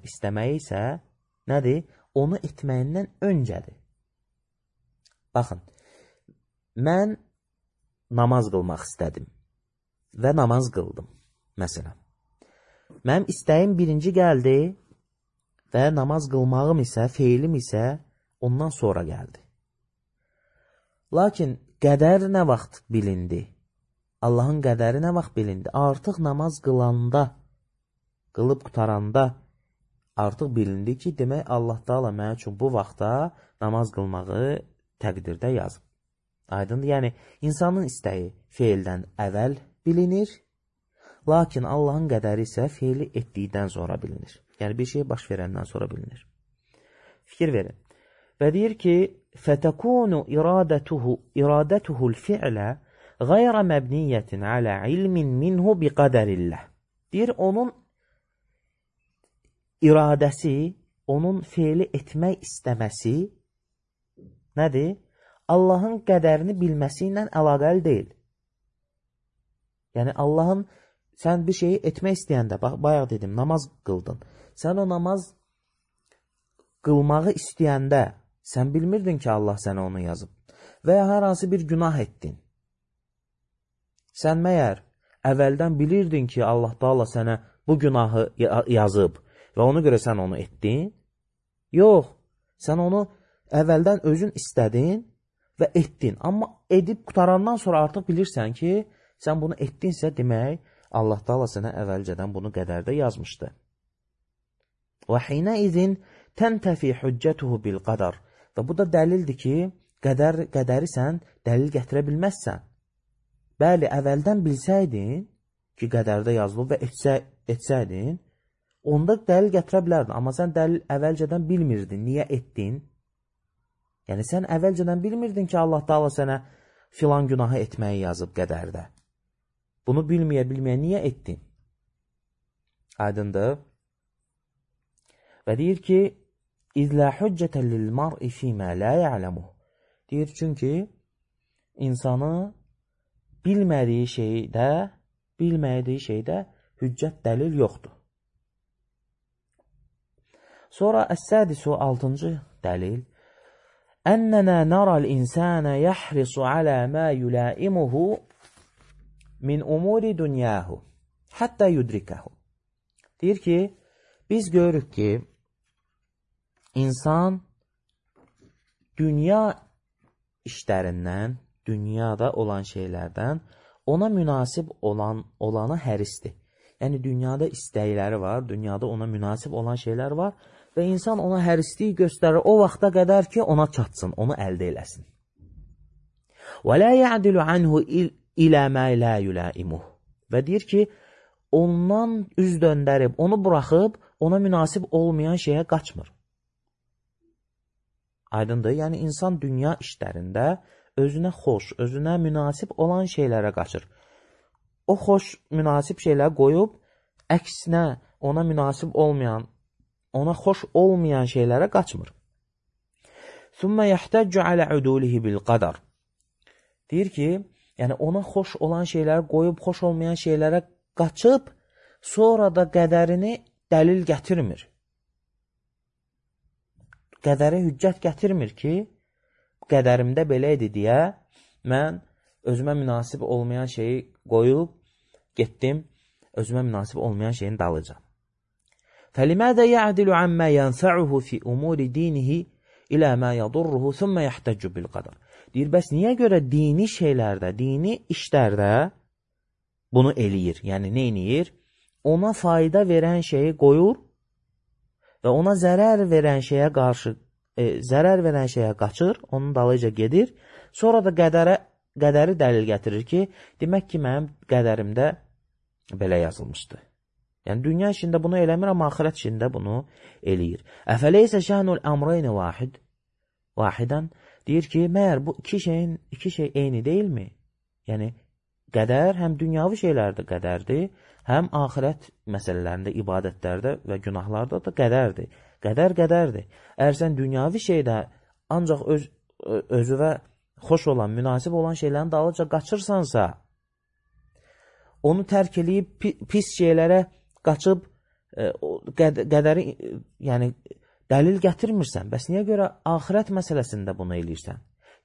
istəməyi isə nədir? Onu etməyindən öncədir. Baxın, mən namaz qılmaq istədim və namaz qıldım, məsələn. Mənim istəyim birinci gəldi və namaz qılmağım isə, feilim isə ondan sonra gəldi. Lakin qədər nə vaxt bilindi? Allahın qədəri nə vaxt bilindi? Artıq namaz qılanda, qılıb qutaranda artıq bilindi ki, demək Allah Taala mənim üçün bu vaxtda namaz qılmağı təqdirdə yazıb. Aydındır? Yəni, insanın istəyi feildən əvvəl bilinir, Lakin Allahın qədəri isə feili etdikdən sonra bilinir. Yəni, bir şey baş verəndən sonra bilinir. Fikir verin. Və deyir ki, فَتَكُونُ إِرَادَتُهُ الْفِعْلَ غَيْرَ مَبْنِيَّةٍ عَلَى عِلْمٍ مِنْهُ بِقَدَرِ اللّٰهِ. Deyir, onun iradəsi, onun feili etmək istəməsi nədir? Allahın qədərini bilməsi ilə əlaqəli deyil. Yəni, Allahın, sən bir şeyi etmək istəyəndə, bayaq dedim, namaz qıldın. Sən o namaz qılmağı istəyəndə, sən bilmirdin ki, Allah sənə onu yazıb. Və ya hər hansı bir günah etdin. Sən məyər əvvəldən bilirdin ki, Allah Taala sənə bu günahı yazıb və ona görə sən onu etdin? Yox, sən onu əvvəldən özün istədin və etdin. Amma edib qutarandan sonra artıq bilirsən ki, sən bunu etdinsə demək, Allah Taala sənə əvvəlcədən bunu qədərdə yazmışdı. Və hinəizin təntəfi hüccətuhu bil qadar. Və bu da dəlildir ki, qədəri sən dəlil gətirə bilməzsən. Bəli, əvvəldən bilsəydin ki, qədərdə yazılıb və etsəydin, onda dəlil gətirə bilərdin. Amma sən dəlil əvvəlcədən bilmirdin. Niyə etdin? Yəni, sən əvvəlcədən bilmirdin ki, Allah Taala sənə filan günahı etməyi yazıb qədərdə. Bunu bilməyə niyə etdin? Aydındır. Və deyir ki, İzlə hüccətə lil-mar'i fīmə lə ya'ləmuh. Deyir, çünki insanı bilmədiyi şeydə hüccət dəlil yoxdur. Sonra əs-sədisu 6-cı dəlil. Ənənə nərəl-insənə yəhrisu alə mə yulaimuhu min umuri dünyahu həttə yudrikəhu. Deyir ki, biz görürük ki, İnsan dünya işlərindən, dünyada olan şeylərdən ona münasib olanı hərisdir. Yəni, dünyada istəkləri var, dünyada ona münasib olan şeylər var və insan ona hərisliyi göstərir o vaxta qədər ki, ona çatsın, onu əldə eləsin. وَلَا يَعْدِلُ عَنْهُ إِلَى مَا لَا يُلَائِمُهُ. Və deyir ki, ondan üz döndərib, onu buraxıb, ona münasib olmayan şeyə qaçmır. Aydındır, yəni insan dünya işlərində özünə xoş, özünə münasib olan şeylərə qaçır. O xoş, münasib şeyləri qoyub, əksinə ona münasib olmayan, ona xoş olmayan şeylərə qaçmır. ثُمَّ يَحْتَجُّ عَلَى عُدُولِهِ بِالْقَدَرِ. Deyir ki, yəni ona xoş olan şeyləri qoyub, xoş olmayan şeylərə qaçıb, sonra da qədərini dəlil gətirmir. Qədəri hüccət gətirmir ki, qədərimdə belə idi deyə, mən özümə münasib olmayan şeyi qoyub, getdim, özümə münasib olmayan şeyin dalacam. فَلِمَاذَا يَعْدِلُ عَمَّا يَنْفَعُهُ فِي أُمُورِ دِينِهِ إِلَى مَا يَضُرُّهُ ثُمَّ يَحْتَجُّ بِالْقَدَرِ. Deyir, bəs niyə görə dini şeylərdə, dini işlərdə bunu eləyir? Yəni, nə eləyir? Ona fayda verən şeyi qoyur və ona zərər verən şeyə qaçır, onun dalıca gedir. Sonra da qədəri dəlil gətirir ki, demək ki, mənim qədərimdə belə yazılmışdı. Yəni, dünya işində bunu eləmir, amma axirət işində bunu eləyir. Əfəleysə şəhnul əmreyni vahidən deyir ki, məyər bu iki şey eyni deyilmi? Yəni, qədər həm dünyavi şeylərdə qədərdir, həm axirət məsələlərində, ibadətlərdə və günahlarda da qədərdir. Qədərdir. Əgər sən dünyavi şeydə ancaq özüvə xoş olan, münasib olan şeylərin dalıca qaçırsansa, onu tərk eləyib pis şeylərə qaçıb qədəri, yəni dəlil gətirmirsən. Bəs niyə görə axirət məsələsində bunu eləyirsən?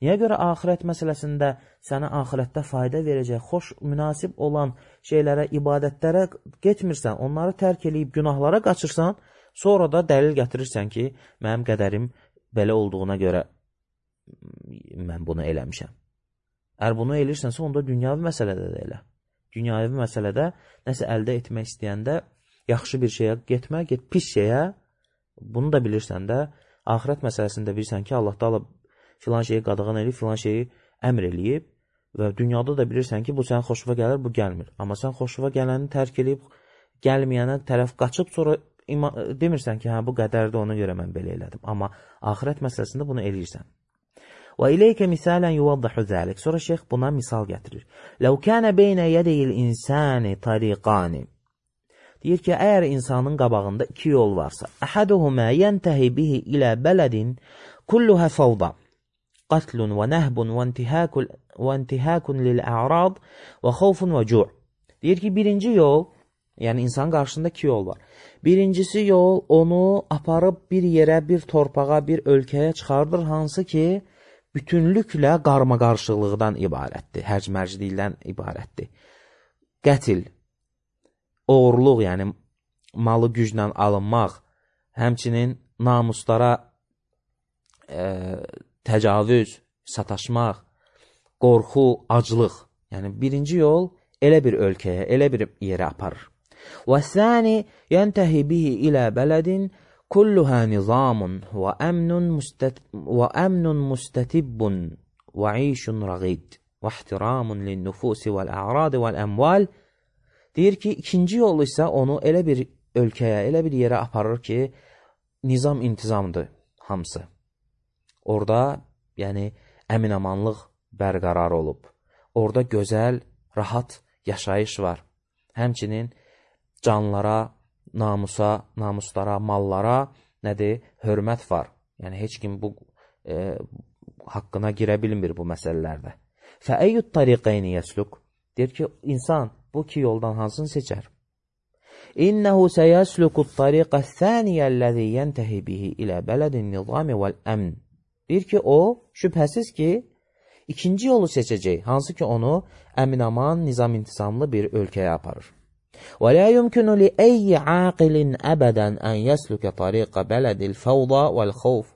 Niyə görə axirət məsələsində sənə axirətdə fayda verəcək, xoş, münasib olan şeylərə, ibadətlərə getmirsən, onları tərk eləyib günahlara qaçırsan, sonra da dəlil gətirirsən ki, mənim qədərim belə olduğuna görə mən bunu eləmişəm. Əgər bunu eləyirsənsə, onda dünyavi məsələdə də elə. Dünyavi məsələdə nəsə əldə etmək istəyəndə yaxşı bir şeyə getmə, get pis şeyə, bunu da bilirsən də, axirət məsələsində bilirsən ki, Allah Taala filan şeyi qadağan eləyib, filan şeyi əmr eləyib Və dünyada da bilirsən ki, bu sənin xoşuna gəlir, bu gəlmir. Amma sən xoşuna gələni tərk edib, gəlməyənə tərəf qaçıb, sonra demirsən ki, hə, bu qədərdir, ona görə mən belə elədim. Amma axirət məsələsində bunu eləyirsən. Və ileykə misalən yuvaddahu zəlik. Sonra şeyx buna misal gətirir. Ləv kənə beynə yədəyil insani tariqani. Deyir ki, əgər insanın qabağında iki yol varsa, əhəduhumə yəntəhi bihi ilə bələdin kulluhə fəvda, qatlun və nəhbun və intihəkun lil-ə'rad və xovfun və cu'. Deyir ki, birinci yol, yəni insanın qarşısında iki yol var. Birincisi yol onu aparıb bir yerə, bir torpağa, bir ölkəyə çıxardır, hansı ki, bütünlüklə qarma-qarşılıqdan ibarətdir, hərc-mərclikdən ibarətdir. Qətil, oğurluq, yəni malı güclə alınmaq, həmçinin namuslara təcavüz, sataşmaq, qorxu, aclıq. Yəni birinci yol elə bir ölkəyə, elə bir yerə aparır. Və səni yəntəhi bihi ilə bələdin kulluhə nizamun və əmnun müstətibbun və işun rəqid və ihtiramun lin-nufusi vəl-ə'radi vəl-əmval. Deyir ki, ikinci yol isə onu elə bir ölkəyə, elə bir yerə aparır ki, nizam intizamdır hamısı. Orada, yəni, əmin-amanlıq bərqərar olub. Orada gözəl, rahat yaşayış var. Həmçinin canlara, namusa, namuslara, mallara nədir? Hörmət var. Yəni, heç kim bu haqqına girə bilmir bu məsələlərdə. Fəəyyüd tariqəyni yəsluk. Deyir ki, insan bu iki yoldan hansını seçər? İnnəhu səyəslukut tariqə thəniyyəlləzi yəntəhi bihi ilə bələdin nizami vəl-əmn. Deyir ki, o, şübhəsiz ki, ikinci yolu seçəcək, hansı ki, onu əmin-aman, nizam-intizamlı bir ölkəyə aparır. ولا يمكن لأي عاقل أبدا أن يسلك طريق بلد الفوضى والخوف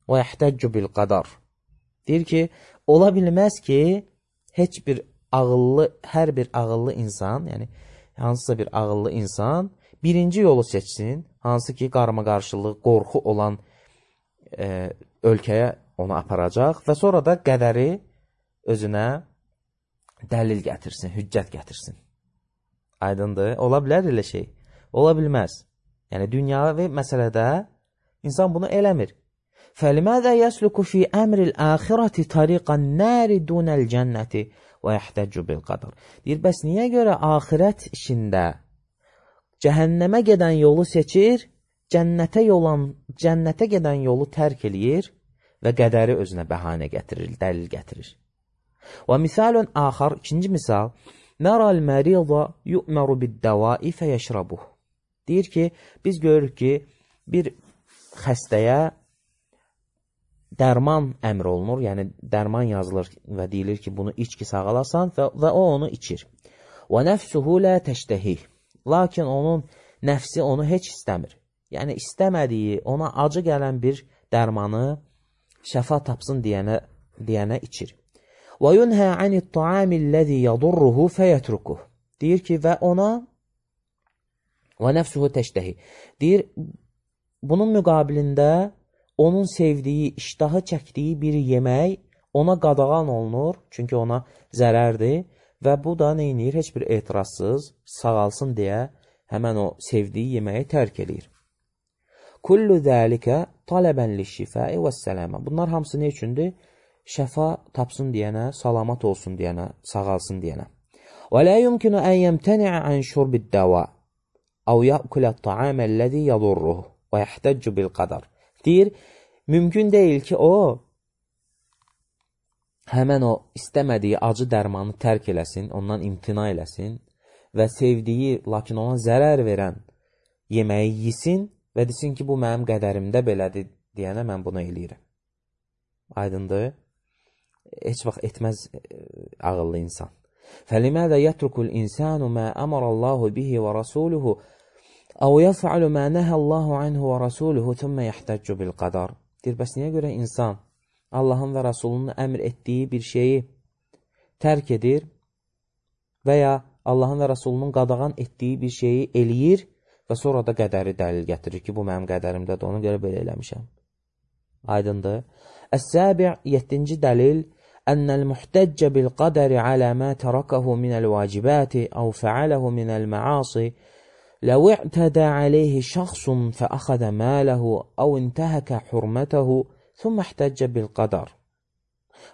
ويحتج بالقدر. Deyir ki, ola bilməz ki, heç bir ağıllı, hər bir ağıllı insan, yəni hansısa bir ağıllı insan birinci yolu seçsin, hansı ki, qarma-qarşılıq, qorxu olan ölkəyə onu aparacaq və sonra da qədəri özünə dəlil gətirsin, hüccət gətirsin. Aydındır. Ola bilər elə şey. Ola bilməz. Yəni, dünyavi məsələdə insan bunu eləmir. فَلِمَاذَا يَسْلُكُ فِي أَمْرِ الْآخِرَةِ طَرِيقَ النَّارِ دُونَ الْجَنَّةِ وَيَحْتَجُّ بِالْقَدَرِ. Deyir, bəs niyə görə axirət işində cəhənnəmə gedən yolu seçir, cənnətə gedən yolu tərk eləyir və qədəri özünə bəhanə gətirir, dəlil gətirir. وَمِثَالٌ آخر, ikinci misal, نَرَى الْمَرِيضَ يُؤْمَرُ بِالدَّوَاءِ فَيَشْرَبُهُ. Deyir ki, biz görürük ki, bir xəstəyə dərman əmr olunur, yəni dərman yazılır və deyilir ki, bunu iç ki sağalasan və o onu içir. وَنَفْسُهُ لَا تَشْتَهِهِ. Lakin onun nəfsi onu heç istəmir. Yəni istəmədiyi, ona acı gələn bir dərmanı şəfa tapsın deyənə içir. وَيُنْهَى عَنِ الطَّعَامِ الَّذِي يَضُرُّهُ فَيَتْرُكُهُ. Deyir ki, və ona وَنَفْسُهُ تَشْتَهِ. Deyir, bunun müqabilində onun sevdiyi, iştahı çəkdiyi bir yemək ona qadağan olunur, çünki ona zərərdir və bu da neynir? Heç bir etirazsız sağalsın deyə həmən o sevdiyi yeməyi tərk edir. Kullu zəlikə talabən liş-şifai vəs-səlamə. Bunlar hamısı nə üçündür? Şəfa tapsın deyənə, salamat olsun deyənə, sağalsın deyənə. Və la yumkinu an yemtani'a an şurbid-dava aw ya'kula at-ta'ama allazi yadurruhu və yahtaccu bil-qadar. Deyir, mümkün deyil ki, o həmən o istəmədiyi acı dərmanı tərk eləsin, ondan imtina eləsin və sevdiyi, lakin ona zərər verən yeməyi yesin və desin ki, bu mənim qədərimdə belədir deyənə mən bunu eləyirəm. Aydındır? Heç vaxt etməz ağıllı insan. فَلِمَاذَا يَتْرُكُ الْإِنسَانُ مَا أَمَرَ اللّٰهُ بِهِ وَرَسُولُهُ أَوْ يَفْعَلُ مَا نَهَى اللّٰهُ عَنْهُ وَرَسُولُهُ ثُمَّ يَحْتَجُّ بِالْقَدَرِ. Deyir, bəs niyə görə insan Allahın və Rasulunun əmr etdiyi bir şeyi tərk edir və ya Allahın və Rasulunun qadağan etdiyi bir şeyi eləyir və sonra da qədəri dəlil gətirir ki, bu mənim qədərimdədir, ona görə belə eləmişəm. Aydındır. Əs-səbi' 7-ci dəlil ennel muhtecce bil qaderi alə mə tərakahu minəl vacibati əv fəaləhu minəl məasi لو اعتدى عليه شخص فأخذ ماله أو انتهك حرمته ثم احتج بالقدر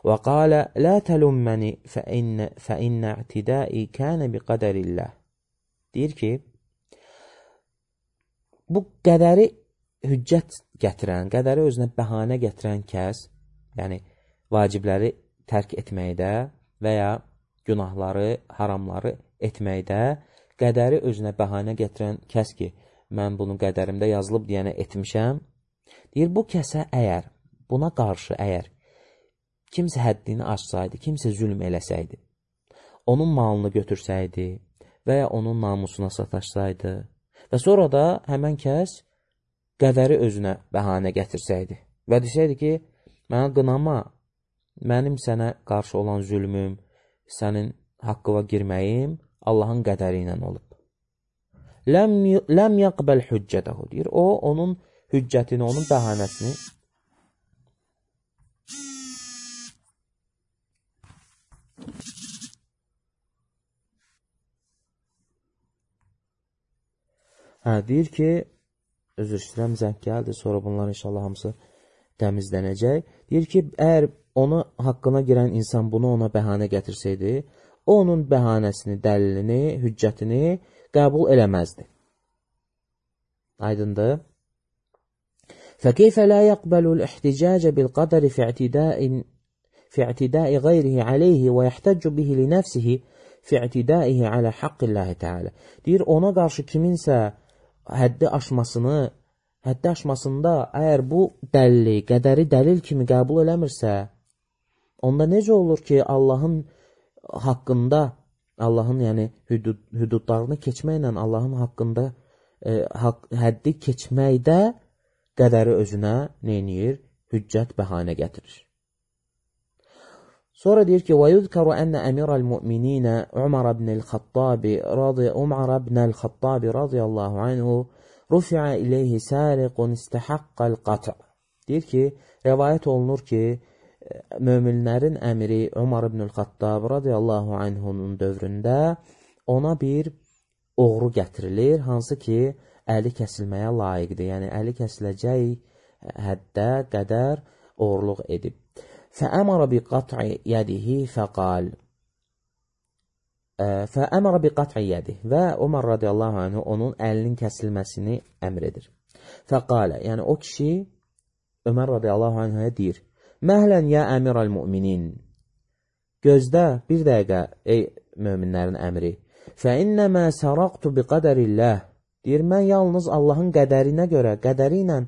وقال لا تلمني فإن اعتدائي كان بقدر الله. Deyir ki, bu qədəri hüccət gətirən, qədəri özünə bəhanə gətirən kəs, yəni vacibləri tərk etməkdə və ya günahları, haramları etməkdə qədəri özünə bəhanə gətirən kəs ki, mən bunu qədərimdə yazılıb deyənə etmişəm, deyir, bu kəsə əgər, buna qarşı əgər kimsə həddini aşsaydı, kimsə zülm eləsəydi, onun malını götürsəydi və ya onun namusuna sataşsaydı və sonra da həmən kəs qədəri özünə bəhanə gətirsəydi və desəydi ki, mənə qınama, mənim sənə qarşı olan zülmüm, sənin haqqıva girməyim Allahın qədəri ilə olub. Ləm yaqbəl hüccətəhu, deyir, o, onun hüccətini, onun bəhanəsini deyir ki, özür istəyirəm, zəng gəldi, sonra bunlar inşallah hamısı təmizlənəcək. Deyir ki, əgər onu haqqına girən insan bunu ona bəhanə gətirsəydi, o onun bəhanəsini, dəlilini, hüccətini qəbul eləməzdi. Aydındır. فَكَيْفَ لَا يَقْبَلُ الْاِحْتِجَاجَ بِالْقَدَرِ فِي اعْتِدَاءِ غَيْرِهِ عَلَيْهِ وَيَحْتَجُّ بِهِ لِنَفْسِهِ فِي اعْتِدَائِهِ عَلَى حَقِّ اللّٰهِ تَعَالَى. Deyir, ona qarşı kiminsə həddi aşmasında əgər bu dəlili, qədəri dəlil kimi qəbul eləmirsə, onda necə olur ki, Allahın haqqında, Allahın yəni hüdudlarını keçməklə Allahın haqqında həddi keçməkdə qədəri özünə neyniyir? Hüccət, bəhanə gətirir. Sonra deyir ki, وَيُذْكَرُ أَنَّ أَمِرَ الْمُؤْمِنِينَ عُمَرَ بْنَ الْخَطَّابِ رضي الله عنه رُفِعَ إِلَيْهِ سَارِقٌ اسْتَحَقَّ الْقَطْعِ. Deyir ki, rəvayət olunur ki, möminlərin əmiri Umar ibn Xattab radiyallahu anhunun dövründə ona bir oğru gətirilir, hansı ki, əli kəsilməyə layiqdir. Yəni, əli kəsiləcək həddə qədər oğurluq edib. فأمر بقطع يده فقال فأمر بقطع يده və Umar radiyallahu anh onun əlinin kəsilməsini əmr edir. Fəqalə, yəni o kişi Ömər radiyallahu anh'a deyir, Məhlən ya əmirəl müminin, gözdə bir dəqiqə ey möminlərin əmri, fəinnəmə səraqtu biqədərilləh, deyir, mən yalnız Allahın qədərinə görə, qədəri ilə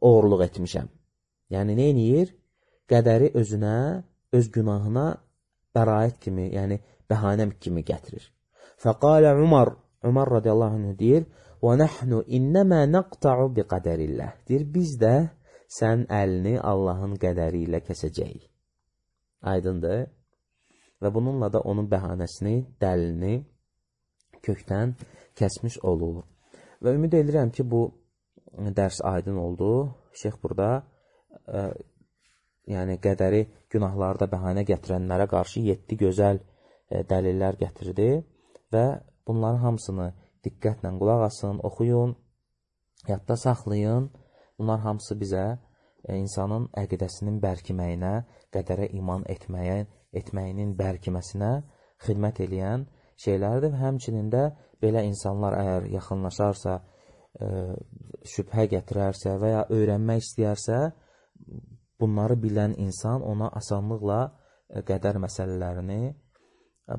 oğurluq etmişəm. Yəni, neyniyir? Qədəri özünə, öz günahına bəraət kimi, yəni bəhanəm kimi gətirir. Fəqalə Umar radiyallahu anh deyir, وَنَحْنُ إِنَّمَا نَقْتَعُ بِقَدَرِ اللّٰهِ deyir, biz də sən əlini Allahın qədəri ilə kəsəcəyik. Aydındır. Və bununla da onun bəhanəsini, dəlilini kökdən kəsmiş olur. Və ümid edirəm ki, bu dərs aydın oldu. Şeyx burada yəni qədəri günahlarda bəhanə gətirənlərə qarşı 7 gözəl dəlillər gətirdi və bunların hamısını diqqətlə qulaq asın, oxuyun, yadda saxlayın. Bunlar hamısı bizə insanın əqidəsinin bərkiməyinə, qədərə iman etməyinin bərkiməsinə xidmət eləyən şeylərdir və həmçinin də belə insanlar əgər yaxınlaşarsa, şübhə gətirərsə və ya öyrənmək istəyərsə, bunları bilən insan ona asanlıqla qədər məsələlərini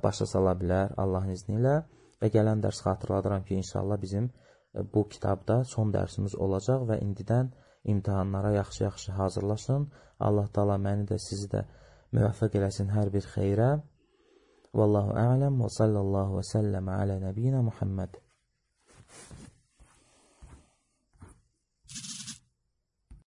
başa sala bilər Allahın izni ilə və gələn dərs xatırladıram ki, inşallah bizim bu kitabda son dərsimiz olacaq və indidən imtihanlara yaxşı-yaxşı hazırlaşın. Allah Taala məni də, sizi də müvəffəq eləsin hər bir xeyrə. Vallahu a'lam və sallallahu və səlləm alə nəbiyyina Muhammed.